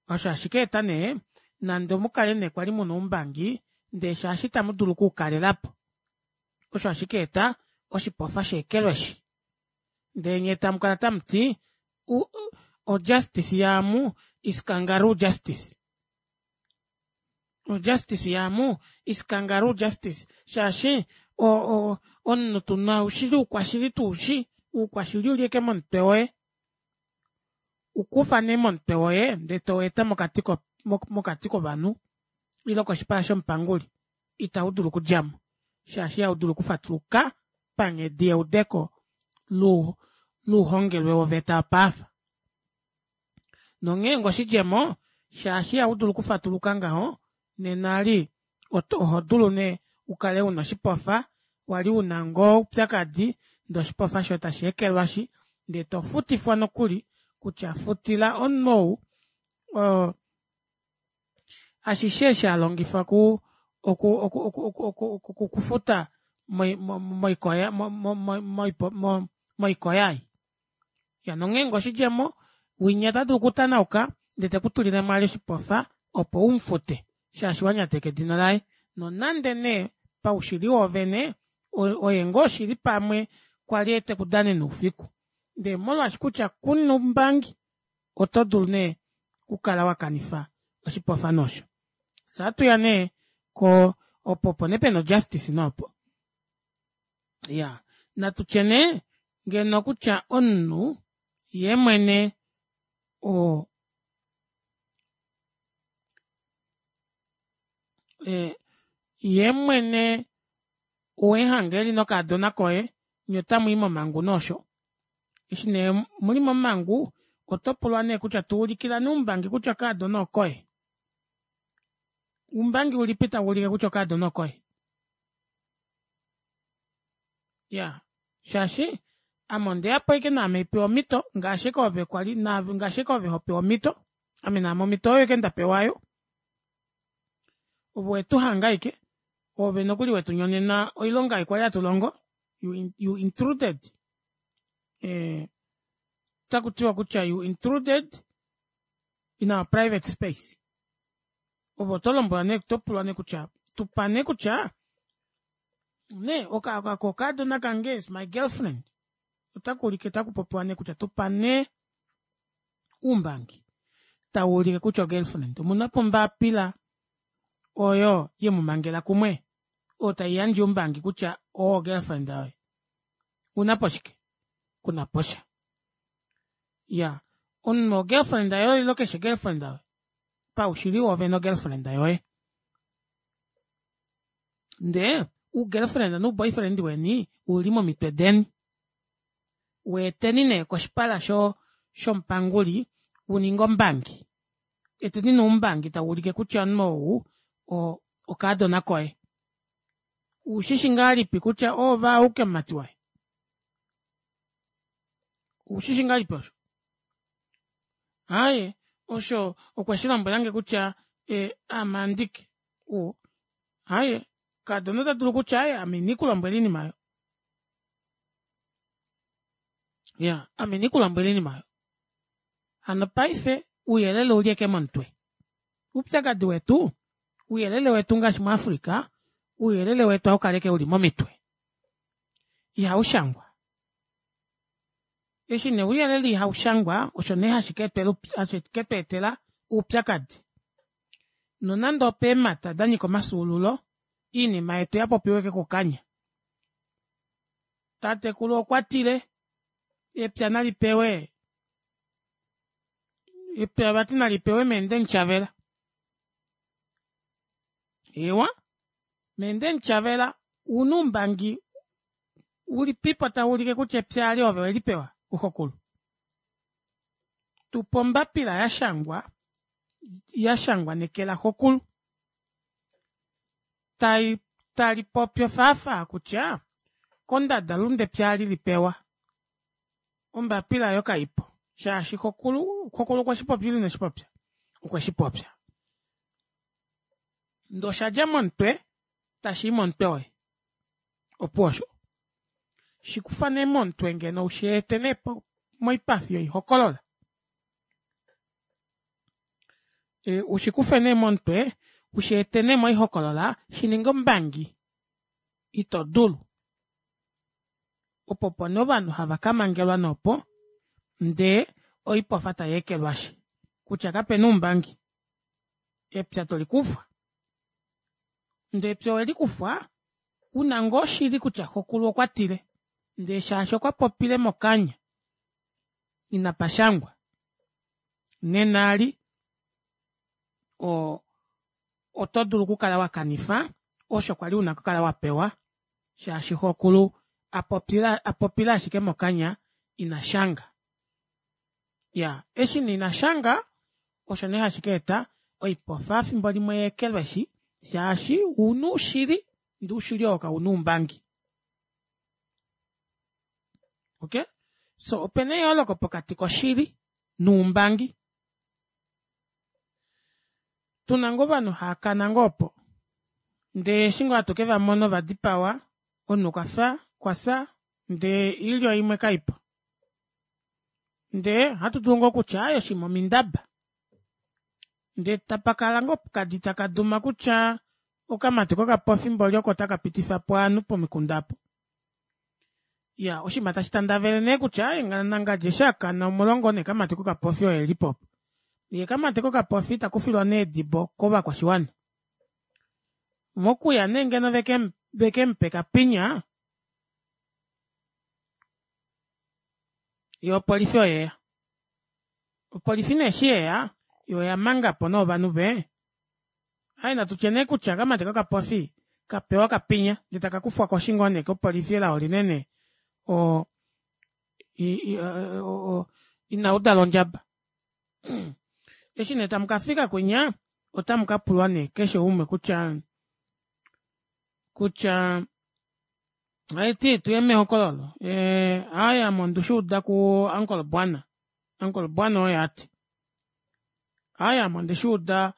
Osho hashikeeta nee nande omukale nee kwali muna oumbangi ndee shaashi itamudulu okuukalelapo osho hashikeeta oshipofa sheekelweshi ndee nyee tamukala tamuti o justice yaamu is kangaroo justice. O justice yaamu is kangaroo justice shaashi omunhu tuna oushili oukwashili tuushi oukwashili ouli ashike momutwe woye. Ukufa nee momutwe woye ndee toweeta mokati mokati kovanhu ile koshipala shomupanguli ita udulu okudjamo shaashi ihaudulu okufatuluka panghedi yeudeko louhongelwe woveta yopaafa. Nonghee ngoo oshidjemo shaashi ihaudulu okufatuluka ngaho nena eli ohodulu nee ukale una oshipofa wali una ngoo oupyakadi ndee oshipofa shoye tasheekelwashi ndee tofutifwa nokuli kutya futila omunhu ou oo ashishe eshi alongifa oku oku oku okukufuta moikoya moikoya ei. Iyaa nonghee ngoo oshidjemo winya otadulu okutanauka ndee tekutulilemo vali oshipofa opo umufute shaashi wanyateka edina laye nonande nee paushili woovene oye ngoo shili pamwe kwali tekudanene oufiku ndee molwaashi kutya kuna oumbangi oto dulu nee okukala wakanifa oshipofa nee osho. Fyee ohatuya nee koo opo opo nee pena o justice nee opo. Iyaa Natutye nee ngeno kutya omunhu yeemwene oo yeemwene owemuhanga eli nokaadona koye nyee otamwii momangu nee osho eshi nee muli momangu otopulwa nee kutya tuulikila nee oumbangi kutya okaadona okoye oumbangi ulipi tawuulike kutya okaadona okoye iyaa shaashi ame ondeyapo ashike naame haipewa omito ngaashi ashike ove kwali ngaashi ashike ove hopewa omito ame naame omito oyo ashike ndapewa aayo ove owetuhanga ashike oove nokuli wetunyonena oilonga ei kwali hatulongo you intruded ee otakutiwa kutya you intruded in our private space ove otolombwelwa nee otopulwa nee kutya tupa nee kutya nee okaadona kange is my girlfriend otakuulike otakupopiwa nee kutya tupa nee oumbangi tawuulike kutya o girlfriend omunapo ombapila oyo yemumangela kumwe oyo taiyandje oumbangi kutya oo girlfriend yoye ounapo shike kunaposha iyaa omunhu o girlfriend yoye ile keshi girlfriend yoye paushili woovene o girlfriend yoye ndee u girlfriend no boyfriend weni ouli momitwe deni weeteni nee koshipala shomupanguli uninge ombangi eteni nee oumbangi tawuulike kutya omunhu ou okaadona koye ushishi ngahelipi kutya oove auke omumati waye ushishi ngahelipi osho aaye osho okweshilombwelange kutya aame andike oo aaye kaadona otadulu kutya aaye ame inandikulombwela oinima aayo iyaa ame inandikulombwela oinima aayo hano paife ouyelele ouli ashike momutwe oupyakadi wetu ouyelele wetu ngaashi mu africa ouyelele wetu ohaukala ashike uli momitwe ihaushangwa eshi nee ouyelele ihaushangwa osho nee hashiketweetela oupyakadi nonande opeemata danyika omafyuululo oinima yetu oyapopiwa ashike kokanya tatekulu okwatile epya nalipewe epya vati nalipewe mee ndemutyavela eewa mee ndemutyavelela ouna oumbangi ulipipo tawuulike kutya epya aali ove owelipewa kuxokulu tupa ombapila yashangwa yashangwa neke laxokulu talipopi ofaafaa kutya kondadalunde epya aali lipewa ombapila aayo kaipo shaashi xokulu xokulu okweshipopya ile ineshipopya okweshipopya ndee oshadja momutwe tashii momutwe woye opuwo osho shikufa nee momutwe ngeno usheete nee moipafi yoihokolola ushikufe nee momutwe usheete nee moihokolola shininge ombangi ito dulu opo opo nee ovanhu hava kamangelwa nee opo ndee oipofa tayeekelwashi kutya kapena oumbangi epya tolikufwa ndee epya owelikufwa una ngoo oshili kutya xokulu okwatile ndee shaashi okwapopile mokanya inapashangwa nena eli oo otodulu okukala wakanifa osho kwali una okukala wapewa shaashi xokulu apopile ashike mokanya inashanga iyaa eshi nee inashanga osho nee hashikeeta oipofa efimbo limwe yeekelweshi shaashi ouna oushili ndee oushili oo kauna oumbangi okey soo opena eyooloko pokati koshili noumbangi tuna ngoo ovanhu haakana ngoo opo ndee eshi ngoo hatu kevamona ovadipawa omunhu okwafya okwafya ndee oilyo imwe kaipo ndee ohatudulu ngoo okutya aaye oshiima omindaba ndee tapakala ngoo okadi takaduma kutya okamati kokapofi mboli oko takapitifapo ovanhu pomikunda aapo iyaa oshiima tashi tandavele nee kutya aaye nangadi eshi akana omulongo nee kamati kokapofi oye elipo opo yee kamati kokapofi takufilwa nee edibo kovakwashiwana mokuya nee ngeno vekemupe kapinya Yoo opolifi oyeya. Opolifi nee eshi yeya yoo oyamangapo nee ovanhu vee aaye natutye nee kutya okamati kokapofi kapewa okapinya ndee takakufwako eshi ngoo nee kopolifi elao linene oo oo inaudala ondjaba. Eshi nee tamukafika kwinya otamukapulwa nee keshe umwe kutya kutya haiti tuye mehokololo ee aaye ame ondeshuuda ku uncle bwana uncle bwana oye ati aaye ame ondeshuuda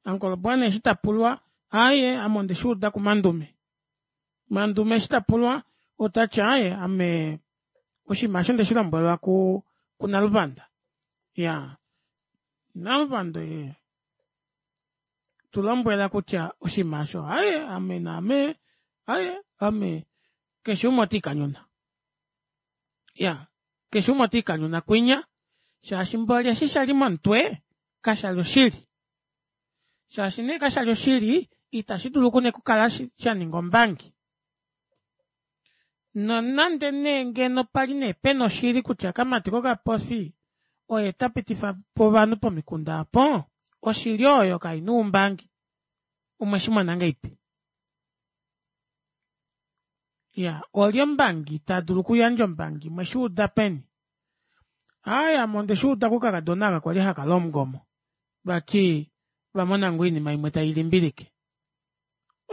uncle bwana eshi tapulwa aaye ame ondeshuuda kumandume mandume eshi tapulwa otati aaye ame oshiima aasho ondeshilombwelwa ku kunaluvanda iyaa naluvanda tulombwela kutya oshiima aasho aaye ame naame aaye ame keshe umwe otiikanyuna iyaa keshe umwe otiikanyuna kwinya shaashi mboli eshi shali momutwe kashali oshili shaashi nee kashali oshili ita shidulu nee okukala shaninga ombangi nonande nee ngeno pali nee pena oshili kutya okamati kokapofi oye tapitifapo ovanhu pomikunda aapo oshili oyo kaina oumbangi omweshimona ngahelipi iyaa olye ombangi tadulu okuyandja oumbangi mweshuuda peni aaye ame ondeshuuda kokakadona aka kwali haka longomo vati ovamona ngoo oinima imwe tailimbilike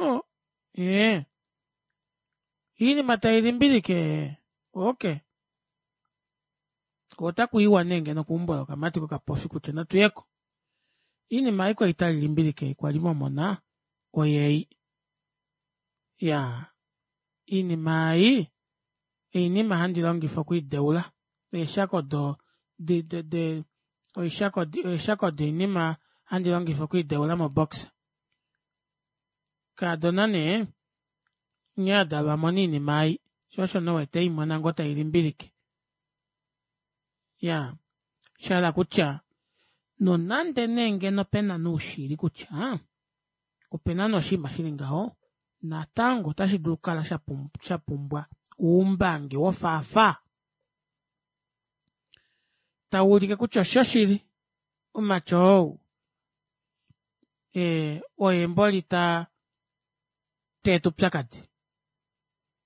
oo ee oinima tailimbilike ee okey koo otakuiwa nee ngeno keumbo lokamati kokapofi kutya natuyeko oinima ei kwali tailimbilike kwali mwamona oyeyi iyaa oinima ei oinima handi longifa okwiideula eeshako do de de eeshako doinima handi longifa okwiideula mo boxa kaadona nee nghee adalwa amona oinima ei shoo osho nee uwete eimona ngoo tailimbilike iyaa shahala kutya nonande nee ngeno pena nee oushili kutya opena nee oshinima shili ngaho natango ota shidulu okukala shapumbwa oumbangi wofaafaa tawuulike kutya oshoshili omumati ou ee oye mboli taa teeta oupyakadi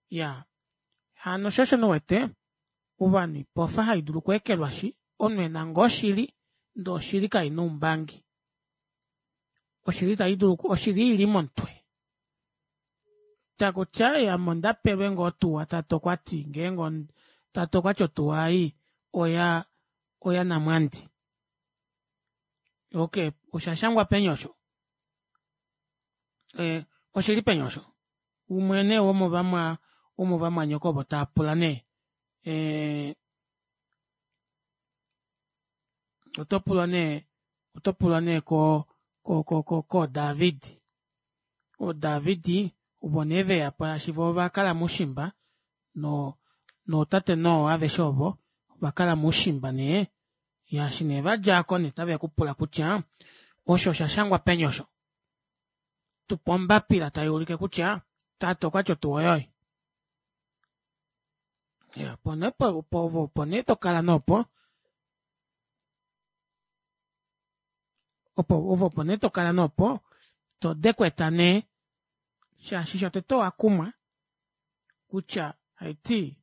iyaa hano shoo osho nee uwete ovanhu oipofa haidulu okweekelwashi omunhu ena ngoo oshili ndee oshili kaina oumbangi oshili taidulu oshili ili momutwe takuti aaye ame ondapelwe ngoo otuwa tate okwati ngeenge tate okwati otuwa ei oya oya namwandi okey oshashangwa peni osho ee oshili peni osho umwe nee womovamwa womovamwanyoko ovo taapula nee ee otopulwa nee otopulwa nee ko ko ko koo david oo david ovo nee veyapo shaashi voo ovakala moushimba noo nootate noah aveshe ovo ovakala moushimba nee shaashi nee vadja aako nee otave kupula kutya osho oshashangwa peni osho tupa ombapila tayuulike kutya tate okwati otuwa oyoye iya opo nee opo nee tokala nee opo opo ove opo nee tokala nee opo todekweta nee shaashi shotete owakumwa kutya haiti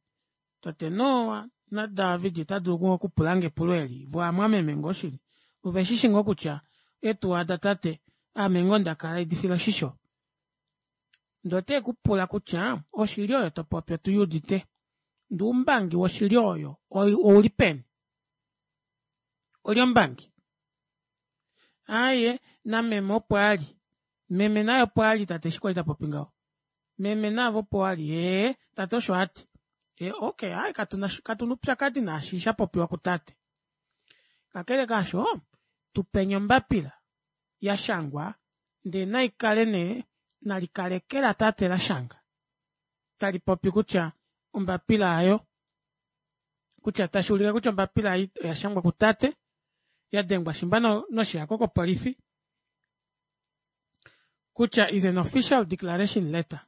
tate noah na david otadulu ngoo okupulange epulo eli voo ovamwameme ngoo shili oveshishi ngoo kutya eetuwa datate aame ngoo ndakala haidifile oshisho ndee otekupula kutya oshili oyo topopi otuyuudite ndee oumbangi woshili oyo ouli peni olye ombangi aaye nameme opo ali meme naye opo ali tate eshi kwali tapopi ngaho meme naave opo wali ee tate osho ati okey aaye katuna oupyakadi naashi shapopiwa kutate kakele kaasho tupeni ombapila yashangwa ndee naikale nee nalikale eke latate lashanga talipopi kutya ombapila aayo kutya tashuulike kutya ombapila ei oyashangwa kutate yadengwa shimba noshihako kopolifi kutya is an official declaration letter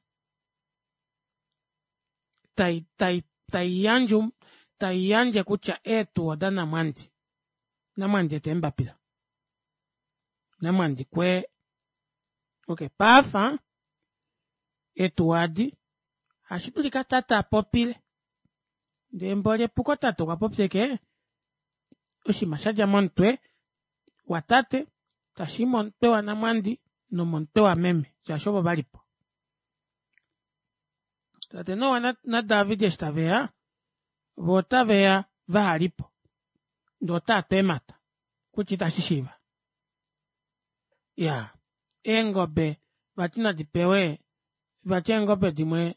tai tai taiyandje Taiyandje kutya eetuwa odaNamwandi. Namwandi eta eembapila. Namwandi kwee okey paafa eetuwa edi ohashidulika tate apopile ndee mboli epuko tate okwapopya ashike oshiima shadja momutwe watate tashii momutwe wanamwandi nomomutwe wameme shaashi ovo valipo. Tate Noah na david eshi taveya voo otaveya vahalipo ndee otaatu eemata kutya ita shishiiva. Iyaa eengobe vati nadipewe vati eengobe dimwe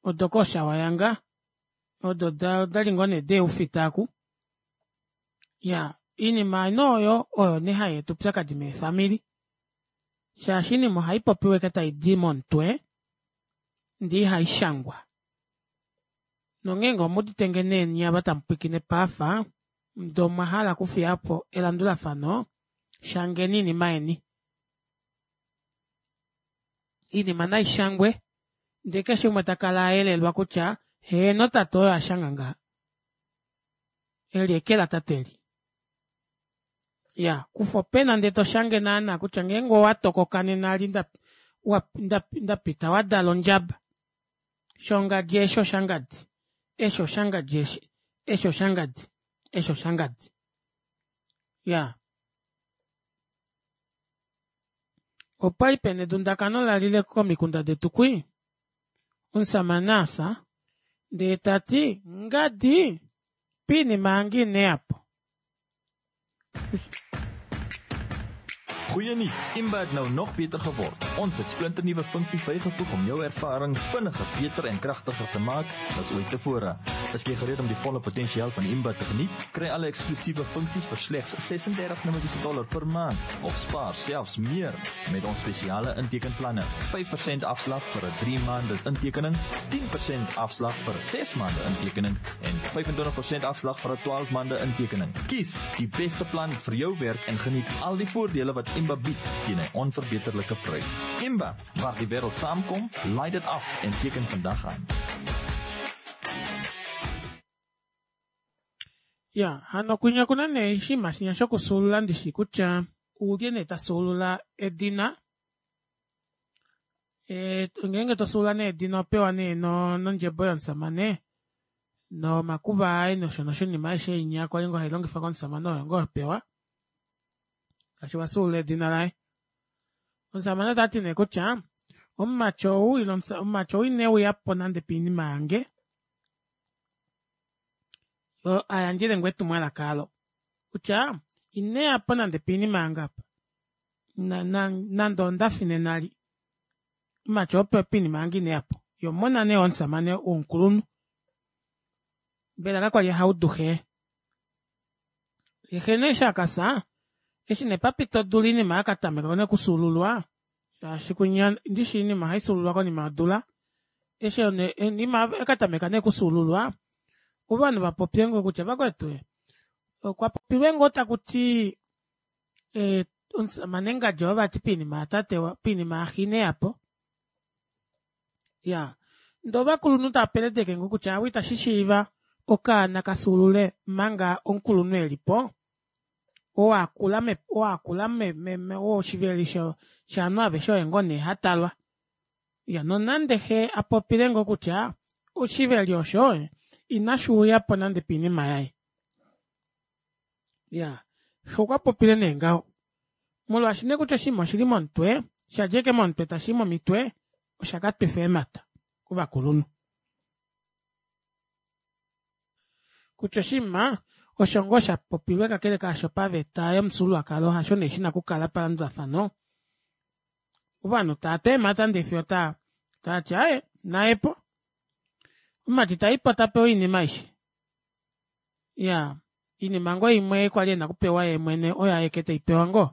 odoko shawayanga odo odali ngoo nee deeufita aaku iyaa oinima nee oyo oyo nee hayeeta oupyakadi meefamili shaashi oinima ohaipopiwa ashike taidi momutwe ndee ihaishangwa nongeenge omuudite nee nyee ava tamupwiikine paafa ndee omwahala okufiyapo elandulafano shangeni oinima yeni oinima naishangwe ndee keshe umwe takala ayelelwa kutya heeno tate oyo ashanga ngaha eli eke latate eli iyaa kufa opena ndee toshange naana kutya ngeenge owatokoka nena eli ndapita wadala ondjaba shongadi eshi oshangadi eshi oshangadi eshi eshi oshangadi eshi oshangadi iyaa opwali pena edundakano lalile komikunda detu kwii omushamane afya ndee tati ngadi poinima yange ineyapo. Goeie nuus, Imba het nou nog beter geword. Ons het splinternuwe funksies bygevoeg om jou ervaring vinniger, beter en kragtiger te maak as ooit tevore. Is jy gereed om die volle potensiaal van Imba te geniet? Kry alle eksklusiewe funksies vir slegs ses-en-dertig Namibiese dollar per maand of spaar selfs meer met ons spesiale intekenplanne. vyf persent afslag vir 'n drie maande intekening, tien persent afslag vir 'n ses maande intekening en vyf-en-twintig persent afslag vir 'n twaalf maande intekening. Kies die beste plan vir jou werk en geniet al die voordele wat Imba bied teen 'n onverbeterlike prys. Imba, waar die wêreld saamkom, laai dit af en teken vandag aan. Ya hano kwinya okuna nee oshinima shinya shokufyuulula ndishi kutya ulye nee tafyuulula edina ee ngeenge tofyuulula nee edina ohopewa nee nondjebo yomushamane nomakuva aye nosho nosho oinima aishe inya kwali ngoo hailongifwa komushamane oyo ngoo hopewa shaashi owafyuulula edina laye. Omushamane otati nee kutya omumati ou ile omumati ou ineuyapo nande poinima yange ayandjele ngoo etumwalaka aalo kutya ineyapo nande poinima yange aapa nande ondafi nena eli omumati oo poinima yange ineyapo yee omona nee womushamane womukulunhu mbela kakwali haudu xee. Yee xe nee eshi akafya eshi nee papita odula oinima yakatameka nee okufyuululwa shaashi kwinya ndishi oinima ohaifyuululwa konima yodula eshi nee oinima yakatameka nee okufyuululwa ovanhu vapopye ngoo kutya vakwetu okwa popilwe ngoo takuti ee omushamane ngadi oo vati poinima yatate poinima yaxe ineyapo iyaa ndee ovakulunhu taapeledeke ngoo kutya aawe ita shishiiva okaana kafyuulule omanga omukulunhu elipo oo akula oo akula oo oshiveli shovanhu aveshe oye ngoo nee hatalwa iya nonande xee apopile ngoo kutya oshiveli osho inashuuyapo nande poinima yaye iyaa xee okwapopile nee ngaho molwaashi nee kutya oshinima oshili momutwe shadja ashike momutwe tashii momitwe oshakatwifa eemata kovakulunhu kutya oshinima osho ngoo shapopilwe kakele kaasho paveta yomufyuululwakalo hasho nee shina okukala palandulafano ovanhu taatu eemata ndee fiyo taati aaye nayepo omumati taipo tapewa oinima aishe iyaa oinima ngoo imwe kwali ena okupewa yeemwene oyo aike teipewa ngoo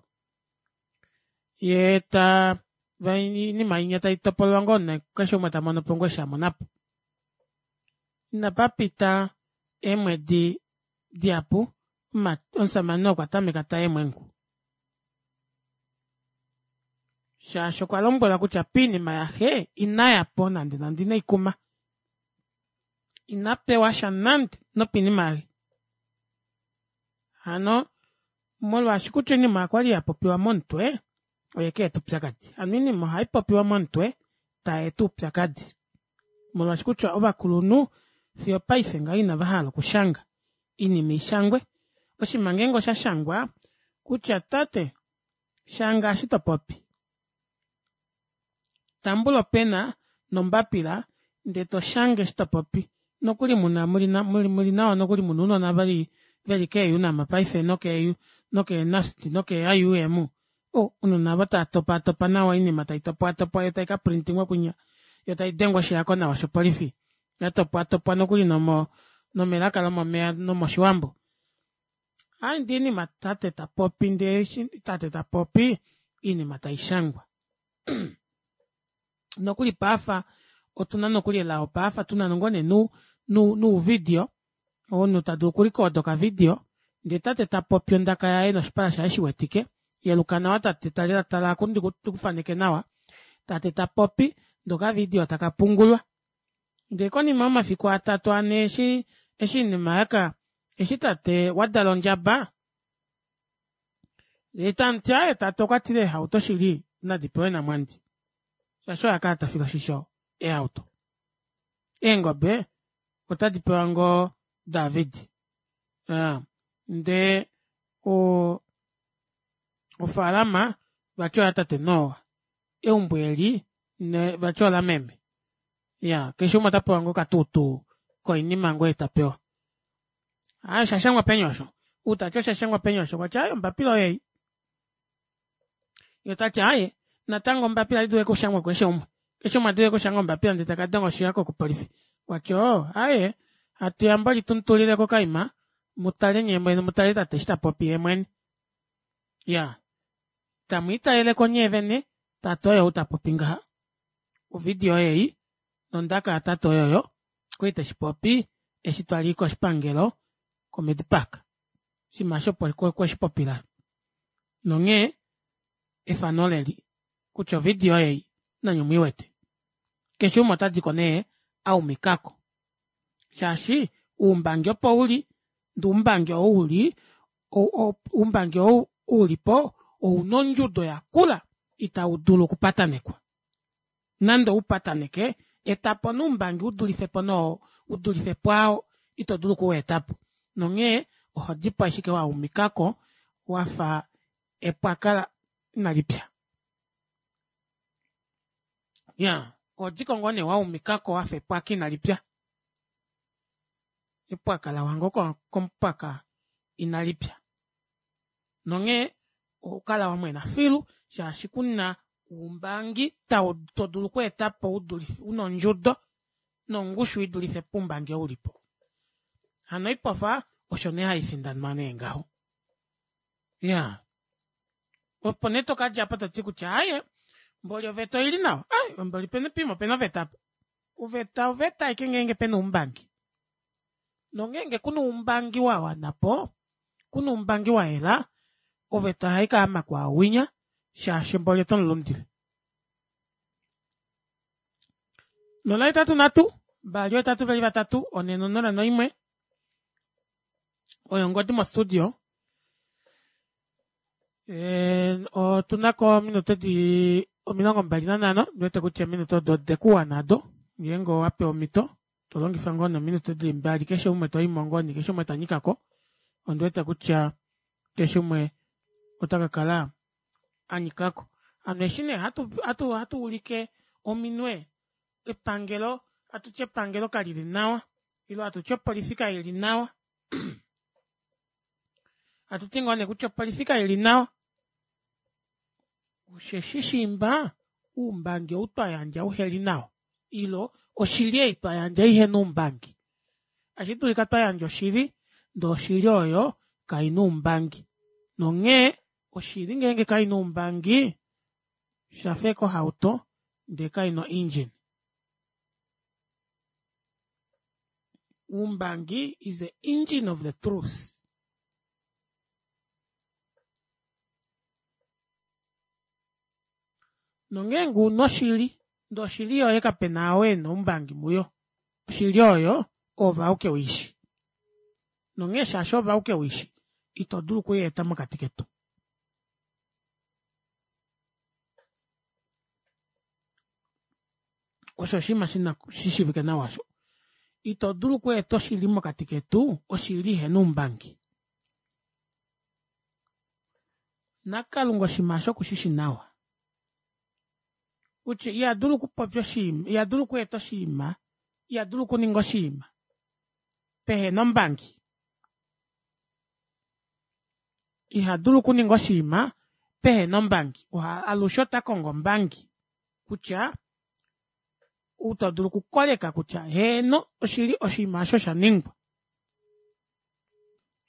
yeeta oinima inya taitopolwa ngoo nee keshe umwe tamonopo ngoo eshi amonapo. Inapapita eemwedi dihapu omushamane okwa tameka tayeemwengu shaashi okwa lombwelwa kutya poinima yaxe inayapo nande nande ineikuma Inapewasha nande nopinima yaye. Hano molwaashi kutya oinima okwali yapopiwa momutwe oyekeeta oupyakadi. Hano oinima ohaipopiwa momutwe tayeeta oupyakadi molwaashi kutya ovakulunhu fiyo opaife ngaha inavahala okushanga oinima ishangwe. Oshinima ngeenge oshashangwa kutya tate shanga eshi topopi, tambula opena nombapila ndee toshange eshi topopi nokuli muna muli nawa nokuli muna ounona veli veli kee unam paife nokee nokee nust nokee I U M oo ounona aavo tava topatopa nawa oinima taitopwatopwa yoo taikaprintingwa kwinya yoo taidengwa oshihako nawa shopolifi yatopwatopwa nokuli nomo nomelaka lomomeya nomoshiwambo. Aaye ndee oinima tate tapopi ndee eshi tate tapopi oinima taishangwa nokuli paife otuna nokuli elao paife tuna ngoo nee nouvidio omunhu tadulu oku record okavidio ndee tate tapopi ondaka yaye noshipala shaye shiwetike yeluka nawa tate tala oku ndikufaneke nawa tate tapopi ndee okavidio taka pungulwa ndee konima yomafiku atatu anhe eshi eshi oinima yaka eshi tate wadala ondjaba yeetamuti aaye tate okwatile eehauto shili nadipewe namwandi shaashi oye akala tafile oshisho eehauto. Eengobe otadi pewa ngoo David iyaa ndee oo ofalama vati oya tate Noah eumbo eli vati olameme iyaa keshe umwe otapewa ngoo okatuutuu koinima ngoo ei tapewa. Aaye oshashangwa peni osho outati oshashangwa peni osho okwati aaye ombapila oyeyi yeetati aaye natango ombapila ohaidulu ashike okushangwa kukeshe umwe keshe umwe ohaidulu ashike okushanga ombapila ndee takadenga oshihako kopolifi okwati oo aaye hatuya mboli tumutulileko okaima mutale nyeemwene mutale tate eshi tapopi yeemwene iyaa tamwiitaleleko nyeevene tate oye ou tapopi ngaha ovidio oyeyi nondaka yatate oyoyo okwali teshipopi eshi twali koshipangelo ko medipark oshinima aasho okweshipopila nonghee efano oleli kutya ovidio oyeyi nanye omwiiwete keshe umwe otadiko nee aumikako shaashi oumbangi opo uli ndee oumbangi ou uli oumbangi ou ulipo ouna ondjudo yakula ita udulu okupatanekwa nande oupataneke etapo nee oumbangi udulifepo nee udulife pwaao ito dulu okuweetapo nonghee ohodipo ashike waumikako wafa epwaka inalipya. Iyaa ohodiko ngoo nee waumikako wafa epwaka inalipya epwaka lawa ngoo komupwaka inalipya nonghee ohokala wamwena filu shaashi kuna oumbangi todulu okweetapo una ondjudo nongushu idulife poumbangi oo ulipo. Hano oipofa osho nee haifindanwa nee ngaho iyaa opo nee tokadjapo toti kutya aaye mboli oveta oili nawa ai mboli poima opena oveta aapa. Oveta oveta ashike ngenge pena oumbangi nongeenge kuna oumbangi wawanapo kuna oumbangi wayela oveta ohaikaama kwaawinya shaashi mboli otomulundile. Nola hetatu nhatu mbali ohetatu veli vatatu onhe nonola noimwe oyo ongodi mo studio ee otunako ominute dili omilongo mbali nanhano ondiwete kutya eminute odo odekuwana aado ngeenge owapewa omito tolongifa ngoo nee ominute dili mbali keshe umwe toyimo ngoo nee keshe umwe tanyikako ondiwete kutya keshe umwe otakakala anyikako. Hano eshi nee hatu hatu ulike ominwe epangelo hatuti epangelo kalili nawa ile hatuti opolifi kaili nawa hatuti ngoo nee kutya opolifi kaili nawa osheshi shiimba oumbangi ou twayandja uheli nawa ile oshili ei twayandja ihena oumbangi oshidulika twayandja oshili ndee oshili oyo kaina oumbangi nonghee oshili ngeenge kaina oumbangi oshafa ashike ohauto ndee kaina o engine. Oumbangi is the engine of the truth. Nongeenge una oshili ndee oshili yoye kapena oo ena oumbangi muyo oshili oyo ove auke uishi. Nonghee shaashi ove auke uishi, ito dulu okuyeeta mokati ketu. Osho oshinima shina shishivike nawa osho. Ito dulu okweeta oshili mokati ketu, oshili ihena oumbangi. NaKalunga oshinima osho okushishi nawa. Kutya iha dulu okupopya oshinima, iha dulu okweeta oshinima, iha dulu okuninga oshinima pehena ombangi. Iha dulu okuninga oshinima pehena ombangi. Alushe ota kongo ombangi kutya ou dulu okukoleka kutya heeno oshili oshinima osho sha ningwa.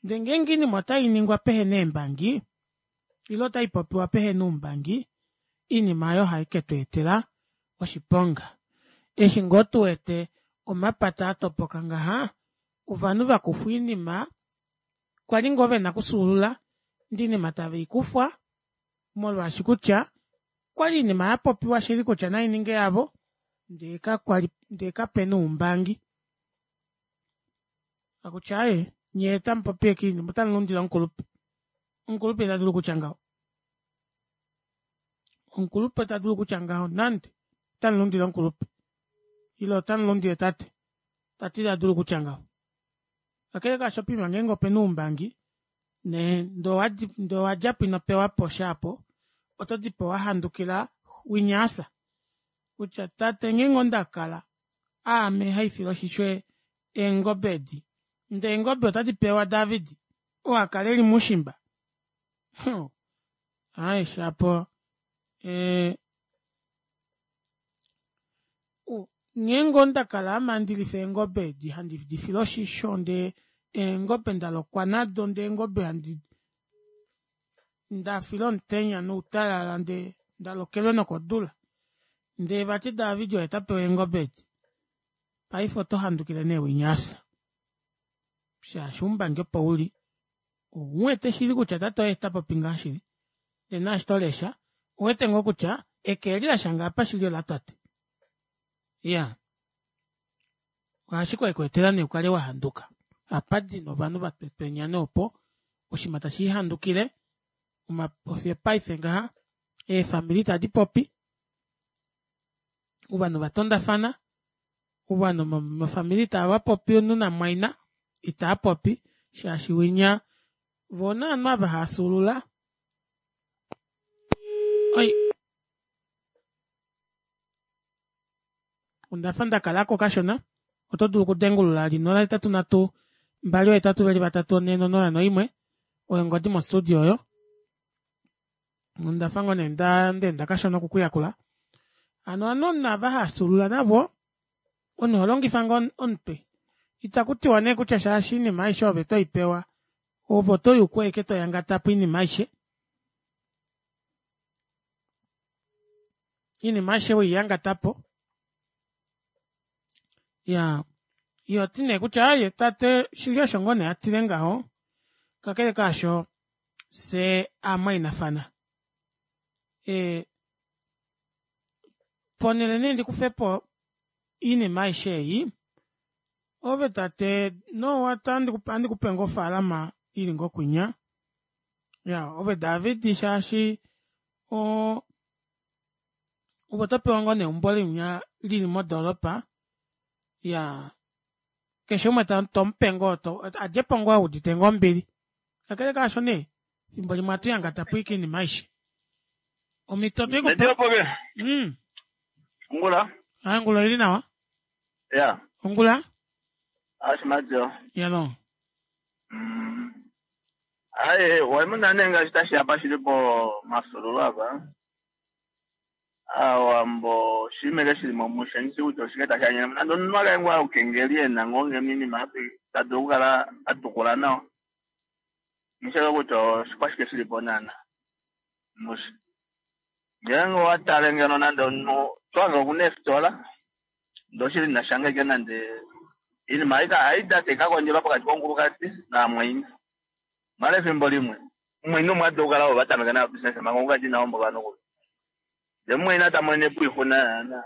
Ndee ngeenge oinima otai ningwa pehena eembangi ile otai popiwa pehena oumbangi, oinima oyo ohai ketu etela oshiponga. Eshi ngoo tuwete omapata atopoka ngaha, ovanhu vakufwa oinima kwali ngoo vena okufyuulula ndee oinima tave ikufwa molwaashi kutya okwali oinima yapopiwa shili kutya naininge yavo ndee kakwali ndee kapena oumbangi. Akutya aaye nyee otamupopi ashike oinima otamulundile omukulupe. Omukulupe ita dulu okutya ngaho. Omukulupe ita dulu okutya ngaho nande otamulundile omukulupe. Ile otamulundile tate. Tate ita dulu okutya ngaho. Kakele kaasho poima ngeenge opena oumbangi nee ndee owadjapo ino pewapo sha aapo, oto dipo wahandukila winyaasa. Kutya tate ngeenge ondakala aame haifile oshisho eengobe edi, ndee eengobe otadi pewa David oo akala eli muushimba. Aaye shapo ee ngeenge ondakala ame handi lifa eengobe edi handi difile oshisho ndee eengobe ndalokwa nado ndee eengobe handi ndafila omutenya noutalala ndee ndalokelwe nokodula ndee vati David oye tapewa eengobe edi, paife oto handukile nee winyaasa shaashi oumbangi opo uli ouwete shili kutya tate oye tapopi ngaa shili ndee naashi tolesha ouwete ngoo kutya eke eli lashanga apa shili olatate. Iyaa ohashi kekweetela nee ukale wahanduka. Ohapadi nee ovanhu vatwetwenya nee opo oshinima tashiihandukile ofye paife ngaha eefamili itadi popi, ovanhu vatondafana, ovanhu mofamili itavapopi omunhu namumwaina itaapopi shaashi winya voo novanhu ava haafyuulula oi ondafa ndakalako kashona oto dulu okudengulula nola hetatu nhatu mbali ohetatu veli vatatu onhe nonola noimwe oyo ongodi mo studio oyo. Ondafa ngoo nee ndaenda kashona okukuyakula. Hano ovanhu ava haafyuulula navo omunhu oholongifa ngoo omutwe. Itaku tiwa nee kutya shaashi oinima aishe ove toipewa ove oto yuku ashike toyangatapo oinima aishe. Oinima aishe weiyangatapo. Iyaa ihoti nee kutya aaye tate shili osho ngoo nee atile ngaho, kakele kaasho fyee aamwainafana. Ee ponele nee ndikufepo oinima aishe ei, ove tate nowa ohandikupe ngoo ofaalama ili ngoo kwinya, iya ove David shaashi oo ove otopewa ngoo nee eumbo linya lili modoropa iyaa keshe umwe tomupe ngoo adjepo ngoo eudite ngoo ombili. Kakele kaasho nee efimbo limwe ohatu yangatapo ashike oinima aishe. Omhito otweikupa. Mm. Ongula. Aaye ongula oili nawa. Ya. Ongula? Ashimatyo. Yalo. Mm. Aye, waimuna nee ngaashi tashiya pashili po mafyuululo apa. Aawambo oshinima shili momushe ndishi kutya oshike tashi anyene nande omunhu akale ngoo aukengeli ena ngoo ngeno oinima ta dulu okukala atukula nawa. Nghishike kutya oshikwashike shilipo naana mushe. Ngeenge owatale ngeno nande omunhu twange okuna eefitola ndee oshili inashanga ashike nande oinima haida taikakondjelwa pokati komukulukadi namumwaina. Maala efimbo limwe mumwaina umwe adulu okukala ovo vatameka naye obusiness manga omukulukadi ina hombolwa nokuli. Ndee mumwaina tamonenepo oixuna naana.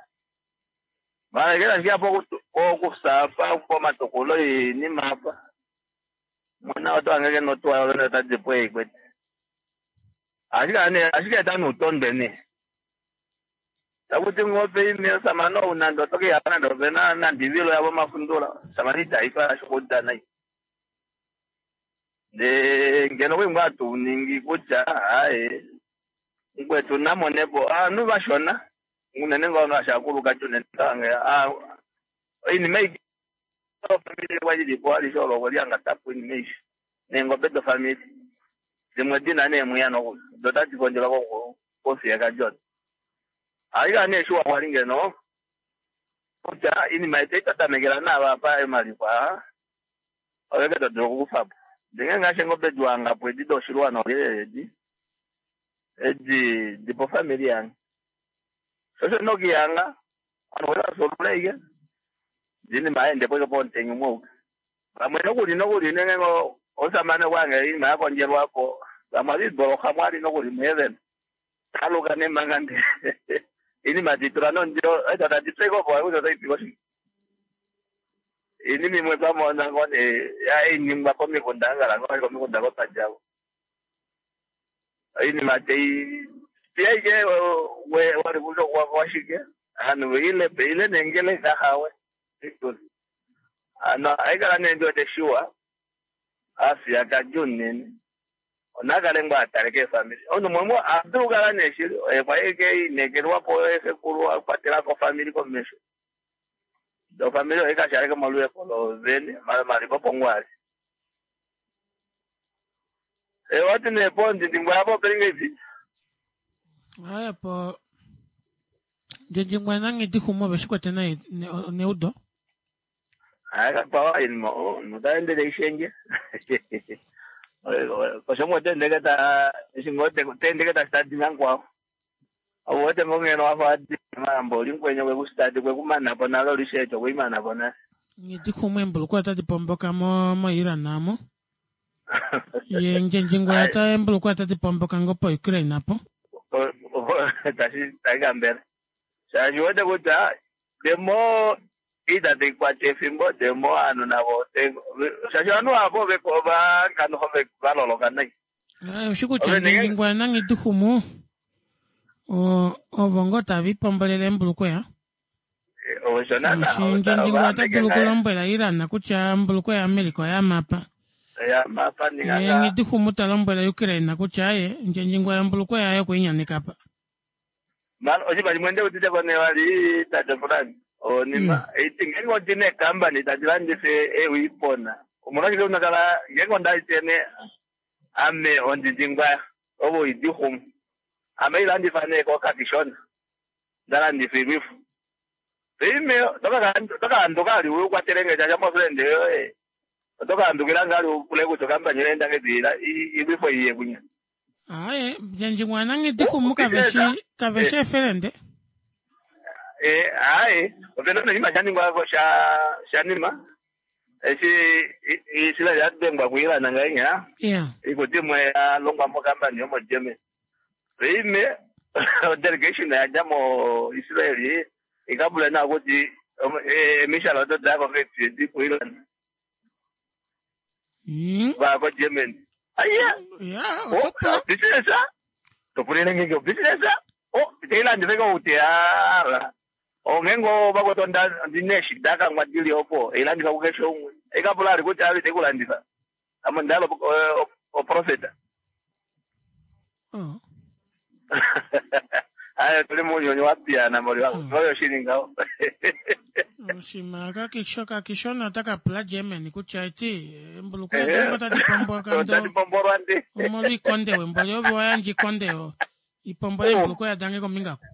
Mara ngele ashike apa okusapa pomatukulo iinima apa mona oto angeke notuwa yovene otadipo eikwete ashike ane ashike eta nuutondwe ne takuti ngope ime osamane ou nande otokeya nande opena nande ivilo yavo mafundula samane itaifala shokudana nde ngeno kwingwa atuningi kutya aye ngwetu namonepo aanhu vashona unene ngao ashakuluka unene tange iinima ofamili kwalilipo alishe olo kwaliangatapo iinima ishi neengobe dofamili zimwe dina neemwiya nokuli do tadi kondjelwa kofiyeka jona aika nee shuwa kwali ngeno kutya iinima yetu itatamekela nava apa emalikwa oveke todulu okukufapo ndinge ngaashi eengobe diwangapo edi doshilwana olelele edi edi dipofamili yange shosho nokiyanga anhu welasolulaike dinima aendepo pomutenya umwe uka vamwe nokuli nokuli nenge osamane kwange iinima yakondjelwapo vamwe aliboloha mwali nokuli muheven taluka nemanga nde iinima titula nondilo eta tatipeko po kuza taipiko shi iinima imwe twamona ngone yainingwa komikunda angala ngone komikunda kopajavo iinima tei tiaike wali kuzo washike anu ile ile nengele kahawe ano aikala nendiwete shuwa afya kajunene onakale ngwa ataleke efamili ono mwemwe adulukala neshili ekwaike inekelwapo ekekulu akwatelako famili komesho do famili oikashaleke molueko lovene maliko pongwali ewati nepo ndindingwapo pelinga ivi Aya po ndjindjingwa nangidihumo veshikwete nai neudo akakwawa inima notaendele ishenge koshomo tendeke ta shingo tendeke ta stadi nankwao awote ngongeno wafa adi mambo linkwenyo kwekustadi kwekumanapo nalo lishecho kuimanapo na ngidihumo embulukwa otadi pomboka mo mo-Iran amo ye ndjindjingwa ta embulukwa otadi pomboka ngo po-Ukraine apo tashi taikambela shaashi wete kutya demo ita teikwata efimbo demo aanhu navo shaashi ovanhu avo vakanuho valoloka nai oshi kutya ndjindjingwa nangidihumo ovo ngo tavipombolele embulukweya osho naana ndjindjingwa ota dulu okulombwela Iran kutya embulukweya yaAmerica oyamapa yamapa ye ngidihumo talombwela Ukraine kutya aye ndjindjingwa embulukweya yaye okuinyanekapa mara oshipa shimwe ndeutite kone wali tate fulani onima iti ngenge odina ekambani tadi landifa ewiipona omolwashike unakala ngenge ondaitene ame ondindingwa ovo idihumu ame ilandifa nee kokakishona ndalandifa ilwifu ime tokaanduka ali ukwatelenge shasha mofrende yoye otokaandukila ngali upule kutya okambani yoye ndangediila ilwifo iye kunya aye ndjindjingwa nangidihumu kaveshi kaveshi efelende Eh, aye opena oshinima shaningwa sha shanima eshi isila yadengwa kuilana ngainya yeah ikuti imwe yalongwa mokambani yomoGermany ime delegation yadja mo Israeli ikabula na kuti emishala oto dako feti kuilana vako Germany aya yeah business topulile ngeke business oh teilandifeka kuti ala ongengo vakotonda ndineshi dakangwa dili opo eilandifa kukeshe umwe ikapula ali kuti ali tekulandifa amo ndalo oprofeta oh. aya tuli munyonyi wapiyana moli oyo shilingawo oshima kakisho kakishona otakapula Germany kutya eti embulukweya tango tadi pomboka ndo tadi pombolwa ndi omolwa ikonde wemboli ove wayandja ikonde yo ipombole embulukweya dange kombingako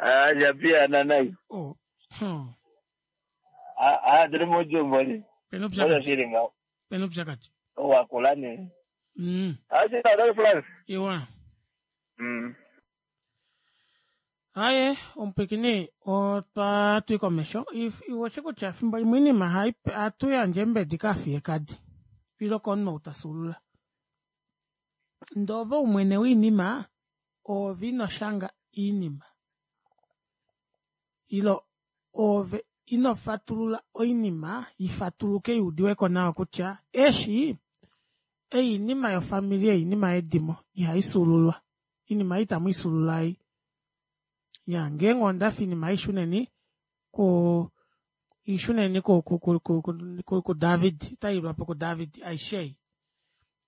ah japiyana nai oh hmm. ah tuli mujumboli pena oyo upyakadi shilingawo pena upyakadi owakula ne mm. ashitadali France iwa mm aye omupwikini otwa tui komesho iwoshe kutya efimbo limwe iinima hatu yandje embedi kaafiyekadi ilo komunhu ou tasulula ndove oumwene wiinima ove ino shanga iinima ilo Ove ino fatulula oinima ifatuluke yuudiweko nawa kutya eshi einima yofamili einima yedimo ihaifyuululwa oinima ei itamuifyuulula ei iya ngeenge ondafi oinima ei shuneni kuu ishuneni ku- ku- ku- ku david otayiilwapo ku david aishe ei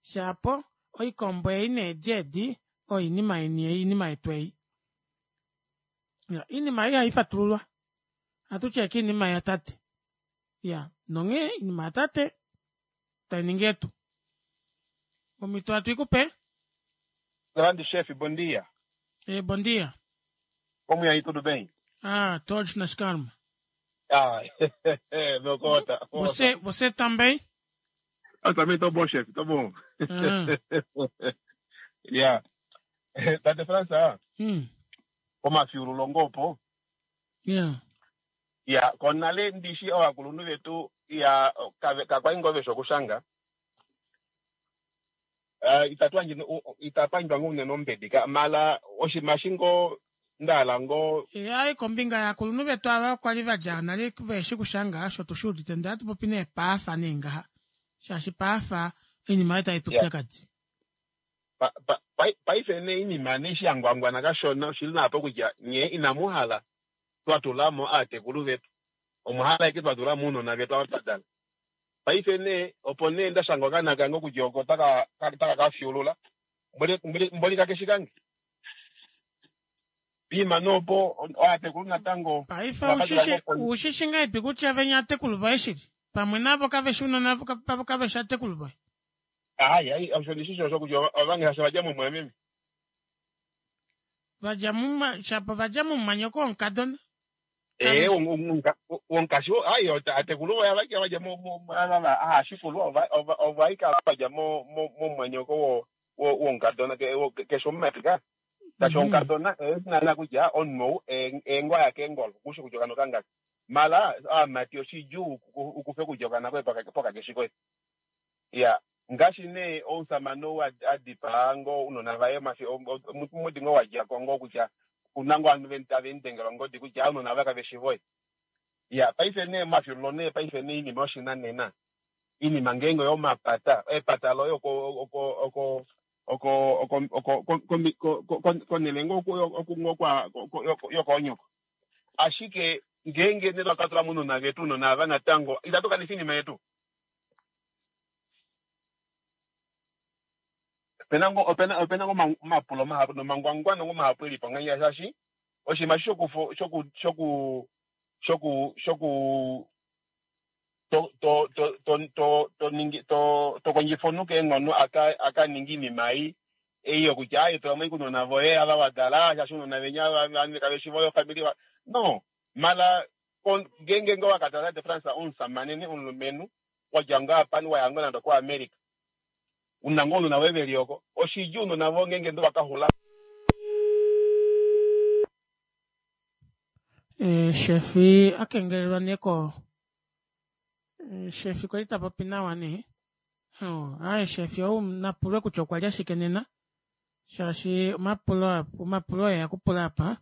shaapo oikombo ei needi edi oyo oinima yeni ei oinima yetu ei iya oinima ei ihaifatululwa ohatuti ashike oinima yatate iyaa nonghee oinima yatate tainingi yetu omito hatuikupe Grande chefe, bom dia. e, bom dia Como é aí, tudo bem? ah todos nas calmas Ah, meu cota. você você também Eu também estou bom, chefe, estou bom. ah, yeah. Tate França, hum, omafyuululo ngopo. yeah. Ya, konale ndishi ovakulunhu vetu ya kave- kakwali ngoo veshi okushanga. Uh, itatu itapandjwa ngoo unene ombedi ka mala oshinima eshi ngoo ndahala ngoo hayi kombinga yaakulunhu vetu ava kwali vadja nale veshi kushanga osho tushuudite ndee hatupopi nee paafa nee ngaha shaashi paafa oinima oyo tayi ya tupyakadi pa- pa- pai- paife nee inima nee eshi yangwangwana kashona oshili naapo kutya nye inamuhala twatulamo aatekulu vetu omwahala ashike twatulamo ounona vetu ava twadala paife nee opo nee ndashanga okaana kange kutya oko taka taka kafyuulula mboli mboli mboli kakeshi kange piima noopo aatekulu natango paife ovakatula ushishi ngo ushishi ngahelipi kutya venya atekulu voye shili pamwe navo kaveshi unona pavo kaveshi atekulu voye hayi hayi osho ndishishi osho kutya ovange hasha vadja mumwameme vadja muma shapo vadja mumwanyoko womukadona ee kaveshi wonkashi hayi atekulu voye avaki vadja haashikulu ovaikala vadja momwanyoko womukadona keshe omumati ka tashi mhm omukadona esinana kutya omunhu ou eengwa yake engolo kushi kutya okana okangaka mala aamati oshidjuu ukufe kutya okana koye pokakeshi koye ya ngaashi nee omusamane ou adipaa ngoo ounona vaye mafi omudi ngoo wadjako ngoo kutya kuna ngoo ovanhu tave mudengelwa ongodi kutya ounona vaye kaveshi voye ya paife nee omafyuululo nee paife nee iinima yoshinanena iinima ngeenge oyomapata epata loye oko oko oko oko oko oko ko- konele ngoo ngoo kwa yokoonyoko ashike ngeenge nee twakatula mounona vetu ounona ava natango itatu kanifa iinima yetu opena ngo opena opena ngo omapulo mahapu nomangwangwano ngo mahapu elipo nganya shaashi oshinima shoku shoku shoku shoku shoku to to to to to to ningi to to kondjifa omunhu keenghono aka aka ningi iinima ei ei yokutya aye tula moikunona voye ava wadala shaashi ounona venya ava kaveshi voye ofamili wa no mala kon- ngeenge ngoo wakatala de France omusamane ne omulumenhu wadja ngoo apani waya ngoo nande ko America una ngoo ounona voye veli oko oshidjuu ounona voye ngeenge ndo vakahula e, shefi akengelelwa nee ko e, shefi kwali tapopi nawa nee oh, aye shefi ou napulwe kutya okwalya shike nena shaashi omapulo omapulo eya kupula apa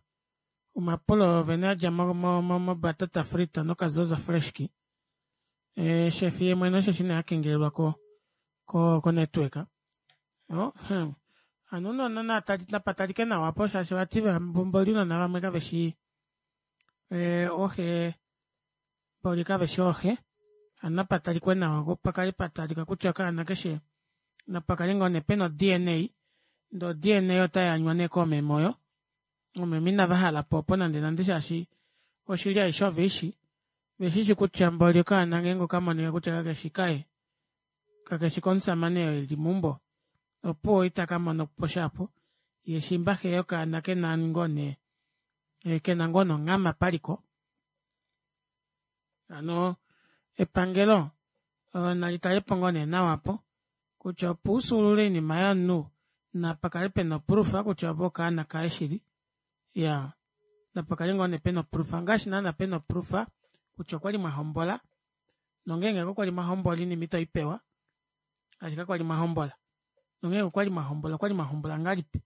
omapulo vene adja mo- mo- mo- mobatata frita nokazoza freshki e, shefi ye mwene osheshi nee akengelelwa ko ko ko network oh, hmm. hano unona natali napatalike nawa apo shaashi vati mboli unona vamwe kaveshi e, oxe mboli kaveshi oxe hano napatalikwe nawa pakale patalika kutya okaana keshe napakale ngoo nee pena o D N A ndee o D N A otayanywa nee koomeme oyo oomeme inavahala po opo nande nande shaashi oshili aishe oveishi veshishi kutya mboli okaana ngeenge okamonika kutya kakeshi kaye kakeshi komusamane oo eli meumbo opuwo itaka mono po shapo ye shimba xe yokaana kena ngoo nee kena ngoo nonghama paliko hano epangelo nali talepo ngoo nee nawa apo kutya opo ufyuulule oinima yomunhu napakale pena oproof kutya ove okaana kaye shili iya napakale ngoo nee pena oproof ngaashi naana pena oproof kutya okwali mwahombola nongeenge kakwali mwahombola oinima itoipewa shaashi kakwali mwahombola nongeenge okwali mwahombola okwali mwahombola ngahelipi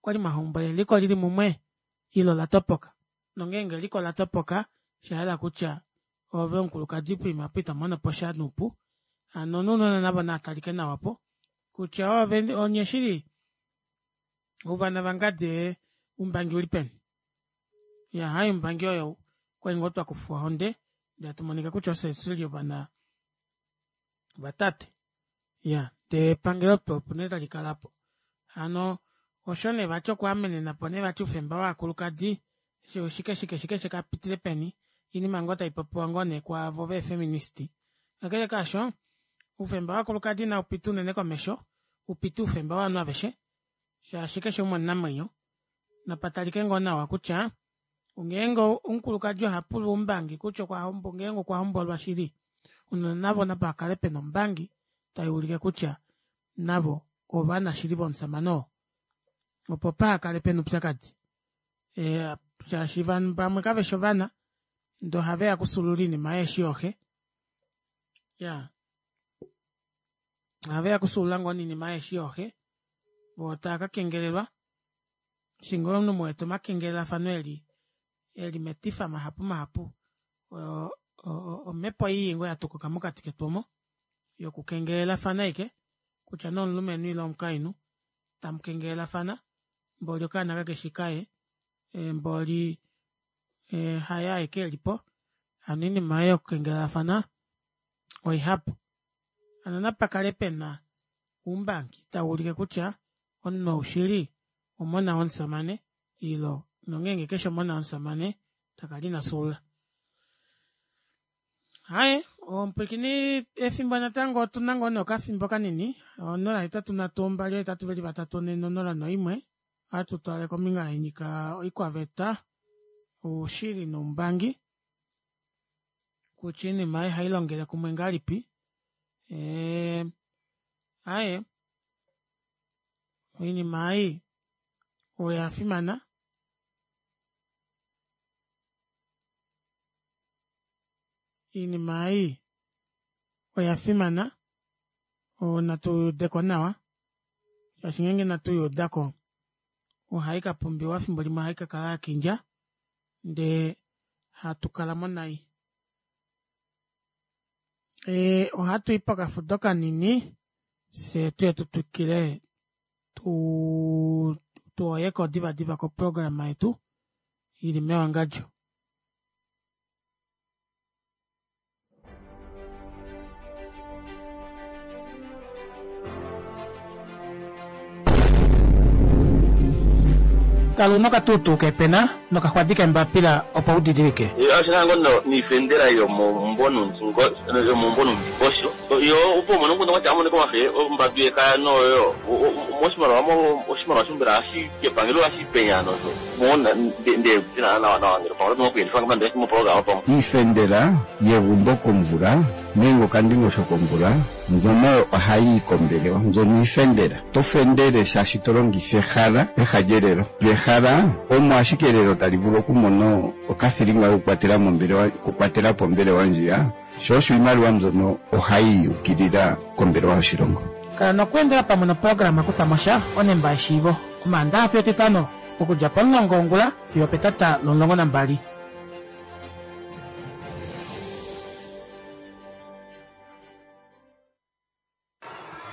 okwali mwahombola eliko lili mumwe ile olatopoka nongeenge eliko olatopoka Shahala kutya ove omukulukadi poima apo ito mono po sha nuupu. Hano nounona navo naatalike nawa po kutya ove onye shili ouvana vangadi oumbangi uli peni. Iya hai oumbangi oyo okwali ngoo twakufwa ohonde ndee hatumonika kutya ofye shili ovana vatate. Iya ndee epangelo opo nee talikala aapo. Hano osho nee vati okwaamenenapo nee vati oufemba wovakulukadi shike shike shike shikapitile peni oinima ngoo taipopiwa ngoo nee kwaavo vee feminist. Kakele kaasho oufemba wovakulukadi naupite unene komesho upite oufemba wovanhu aveshe shaashi keshe umwe omunamwenyo napatalike ngoo nawa kutya ngeenge omukulukadi ohapulwa oumbangi kutya ngeenge okwahombolwa shili ounona navo napakale pena oumbangi taiulike kutya navo ovana shili vomushamane oo opo pahakale pena oupyakadi ee shaashi vamwe kaveshi ovana ndee ohaveya okufyuulula oinima yeeshi yooxe iyaa ohaveya okufyuulula ngoo nee oinima yeeshi yooxe voo taakakengelelwa eshi ngoo omunhu muwete omakengelelafano eli eli metifa mahapu mahapu oo omepo ii ngoo yatukuka mokati ketu omo yoku kengelelafana ashike kutya nee omulumenhu ile omukainhu tamukengelelafana mboli okaana kakefi kaye mboli haye aeke elipo hano oinima ei yokukengelelafana oihapu. Hano napakale pena oumbangi tauulike kutya omunhu ou shili omona womushamane ile nongenge kefi omona womushamane takala ina fyuulula. Aaye omupwiikini efimbo natango otuna ngoo nee okafimbo kanini onola hetatu nhatu mbali oohetatu veli vatatu onhe nonola noimwe ohatu twale kombinga yanyika oikwaveta oushili noumbangi kutya oinima ei ohailongele kumwe ngahelipi ee aaye oinima ei oyafimana oinima ei oyafimana natuudeko nawa shaashi ngeenge inatu yuudako ohaikapumbiwa efimbo limwe ohaikakala yakindja ndee hatukalamo nai. Ee ohatui pokafudo kanini fyee tuye tutwikile tuu tuhoyeko diva diva koprograma yetu ili mewangadjo. Kala una okatuutuu keepena nokaxwadi keembapila opo u didilike. Osho ngo niifendela yomumbo numbi osho yo opo umone omukundu kwatya amone komahe ombambi yekaya noyo moshimaliwa oshimaliwa shombela hashi kepangelo hashi penya nosho mona nde tina nawa nawa ngele pamwe oto kuyelifa ngamba mo programa pamwe. Iifendela yegumbo komvula nenge okandingosho komvula mbyono ohayi kombelewa mbyono iifendela to fendele shaashi to longitha ehala peha lyelelo lyehala omo ashike elelo tali vulu okumona okathilinga kokukwatela mombelewa okukwatela po ombelewa ndjiya sho osho iimaliwa mbyono ohayi ukilila kombelewa yoshilongo. Kala nokweendela pamwe noprograma Kufa mo sha onemba yeshiivo Omaandaxa fiyo Etitano okudja pomulongo wongula fiyo opetata lomulongo nambali.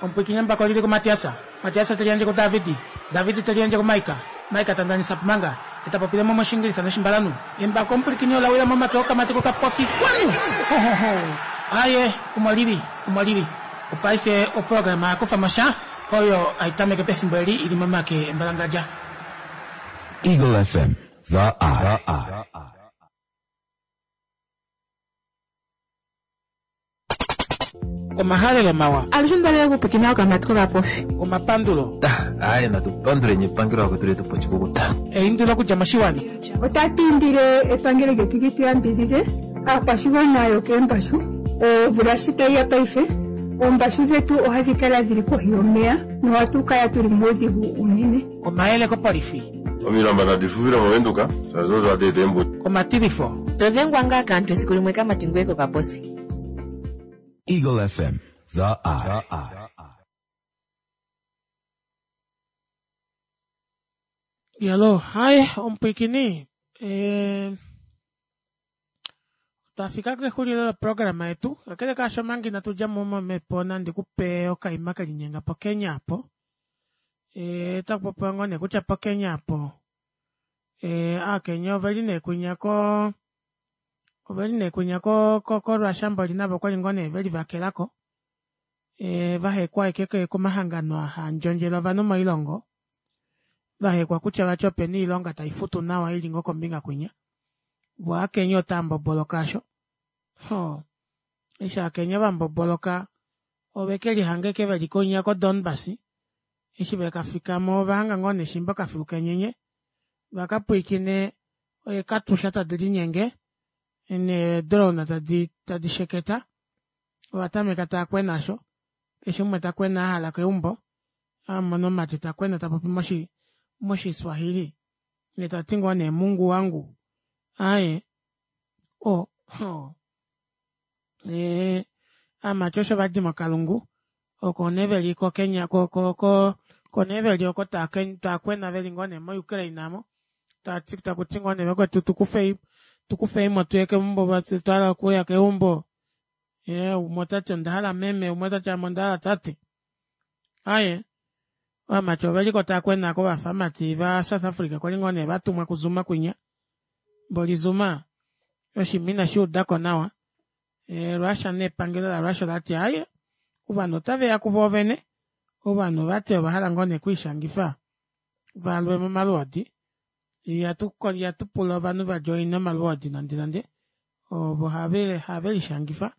Omupwiikini embako olili kuMatias, Matias te liyandje kuDavid, David te liyandje kuMaika, Maika ta ndanisa Pumanga, ye ta popile mo mOshiingilisa nOshimbalanhu. Embako omupwilikini ola wila momake okamati kokapofi. Wanu! Ho, ho, ho! Aaye, omo lili, omo lili. Opaife oprograma ya kufa mo sha, oyo hai tameke pefimbo eli i li momake embalangadja. Eagle F M, The Eye. Omahalelo mawa. Alushe ondalele okupwiikina okamati kokapofi. Omapandulo. Aaye natu panduleni epangelo lakwetu letu po oshikukuta. Eindilo okudja moshiwana. Otatu indile epangelo lyetu li tu yambidhidhe aakwashigwana yokeembashu. Omvula shi tayi ya paife oombashu dhetu ohadhi kala dhili kohi yomeya nohatu kala tuli muudhigu uunene. Omayele kopolifi. Omilamba nadi fufile moVenduka shaashi odo hadi eta eembuto. Omatilifo. To dhengwa ngaa kaantu esiku limwe kamati ngoye kokaposi. Eagle F M, The Eye. Yalo, hai omupwiikini eh, Twafika kexulilo loprograma yetu. Kakele kaasho omanga inatu dja mo momhepo nandi kupe okaima kelinyenga poKenya apo. Ee otaku popiwa ngoo nee kutya poKenya apo ee aakenya oveli nee kwinya koo oveli nee kwinya ko koRussia mboli navo okwali ngoo nee velivakelako ee vahekwa ashike komahangano aa haandjondjele ovanhu moilongo vahekwa kutya vati opena oilonga taifutu nawa ili ngoo kombinga kwinya voo ovaakenya otaamboboloka aasho hoo eshi aakenya vamboboloka ovekelihanga ashike veli kwinya ko Donbas eshi vekafikamo ovahanga ngoo nee shimba okafilu kenyenye vakapwiikine eekatusha tadi linyenge nee drone tadi tadi sheketa ovatameka taakwena aasho keshe umwe takwena ahala keumbo amona omumati takwena tapopi moshi moshi swahili yee tati ngoo nee mungu wangu aaye oo oo ee ovamati osho vadi mokalungu oko nee veli ko kenya ko ko oko nee veli oko taakwena veli ngoo nee mo ukraine aamo tati takuti ngoo nee vakwetu tukufei tukufeimo tuye keumbo fyee otwahala okuya keumbo ee umwe otati ondahala meme umwe otati ame ondahala tate aaye ovamati oveliko taakwena aako vafa ovamati va south africa kwali ngoo nee vatumwa ku zuma kwinya mboli zuma oshinima ineshuudako nawa ee russia nepangelo la russia olati aaye ovanhu otaveya kuvoovene ovanhu vati ovahala ngoo nee okwiishangifa valwe momalwoodi ihatu pula ovanhu vadjoine omalwoodi nande nande ovo havelishangifa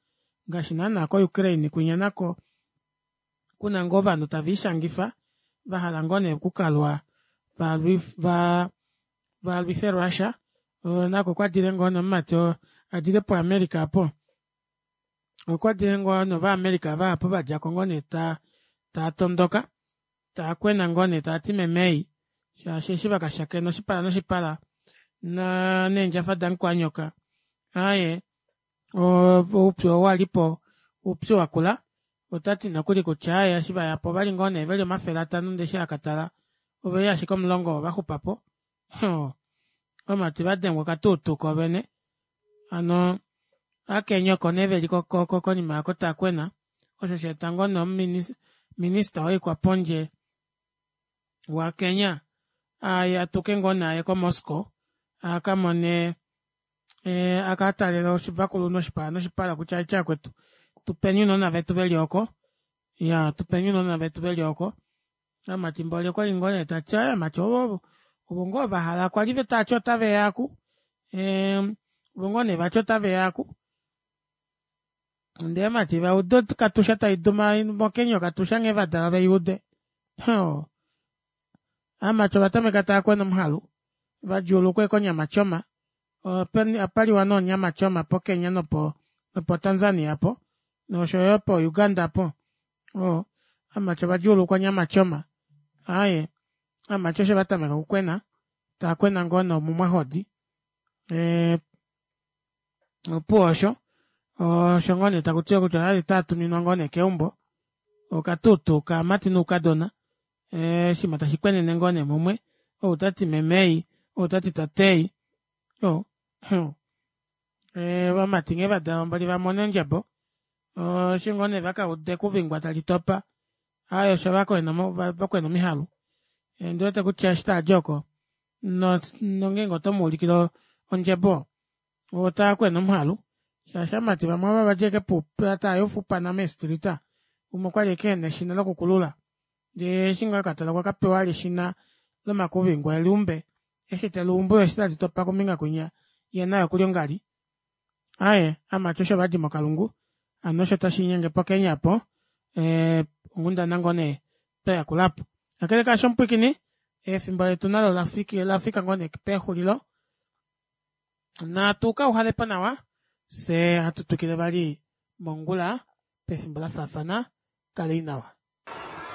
ngaashi naana ko ukraine kwinya nako kuna ngoo ovanhu taviishangifa vahala ngoo nee okukalwa valwife russia nako okwadile ngoo nee omumati oo adile pu america aapo okwadile ngoo nee ova america vahapu vadjako ngoo nee taatondoka taakwena ngoo nee taati meme ei shaashi eshi vakashakena oshipala noshipala neendjafa damukwaanyoka aaye oupyu oo walipo oupyu wakula otati nokuli kutya aaye eshi vayapo ovali ngoo nee veli omafele atano ndee eshi akatala oveli ashike omulongo ovo vaxupapo oo ovamati vadengwa okatuutuu koovene hano ovakenya oko nee veli konima aako taakwena osho shaeta ngoo nee minister woikwapondje wa kenya atuke ngoo nee aye ko moscow akamone akatalele ovakulunhu oshipala noshipala kutya aitye vakwetu tupeni ounona vetu veli ooko iyaa tupeni ounona vetu veli ooko ovamati mboli okwali ngoo nee tati aaye ovamati ovo ovo ngoo vahala kwali tavati otaveya aaku ee ovo ngoo nee vati otaveya aaku ndee ovamati vauda okatusha taiduma mokenya okatusha nghee vadalwa veiude oo ovamati ovatameka taakwena omuhalu vadjuulukwa ashike onyama choma ohapaliwa nee onyama choma po kenya nopo tanzania aapo noshoyo po uganda aapo oo ovamati ovadjuulukwa onyama choma aaye ovamati osho vatameka okukwena taakwena ngoo nee omumwahodi ee opuwo osho osho ngoo nee takutiwa kutya oyali taatuminwa ngoo nee keumbo okatuutuu kaamati noukadona ee oshiima tashi kwenene ngoo nee mumwe ou tati meme ei ou tati tate ei oo ee ovamati nghee vadalwa mboli vamona eendjebo eshi ngoo nee vakauda ekuvingwa tali topa aaye osho vakwena omihalu ondiwete kutya eshi taadi oko nongenge otomuulikile ondjebo otakwena omuhalu shaashi ovamati vamwe ava vadja ashike tayufa oupana mee street umwe okwali ashike ena eshina lokukulula ndee eshi ngoo akatala okwa kapewa vali eshina lomakuvingwa eluumbe eshi teluumbu eshi tali topa kombinga kwinya yee naye okuli ongali aaye ovamati osho vadi mokalungu hano osho tashiinyenge pokenya aapo ee onghundana ngoo nee twayakula aapo kakele kaasho omupwiikini efimbo letu nalo olafika ngoo nee pexulilo natu kauhalepo nawa fyee hatu twikile vali mongula pefimbo lafaafana kalei nawa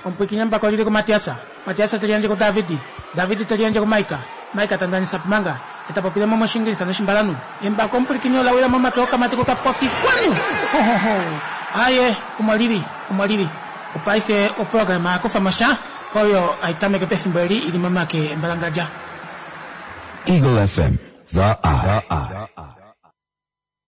omupwiikini embako olili kumatias matias teliyandje kudavidi davidi teliyandje kumaika maika tandanisa pumanga etapopile mo moshingilisa noshimbalanhu embako omupwilikini olawila momake okamati kokapofi kwanu hohoho aaye omo lili omo lili opaife oprograma yakufamosha oyo haitameke pefimbo eli ili momake embalangadja Eagle F M, the eye.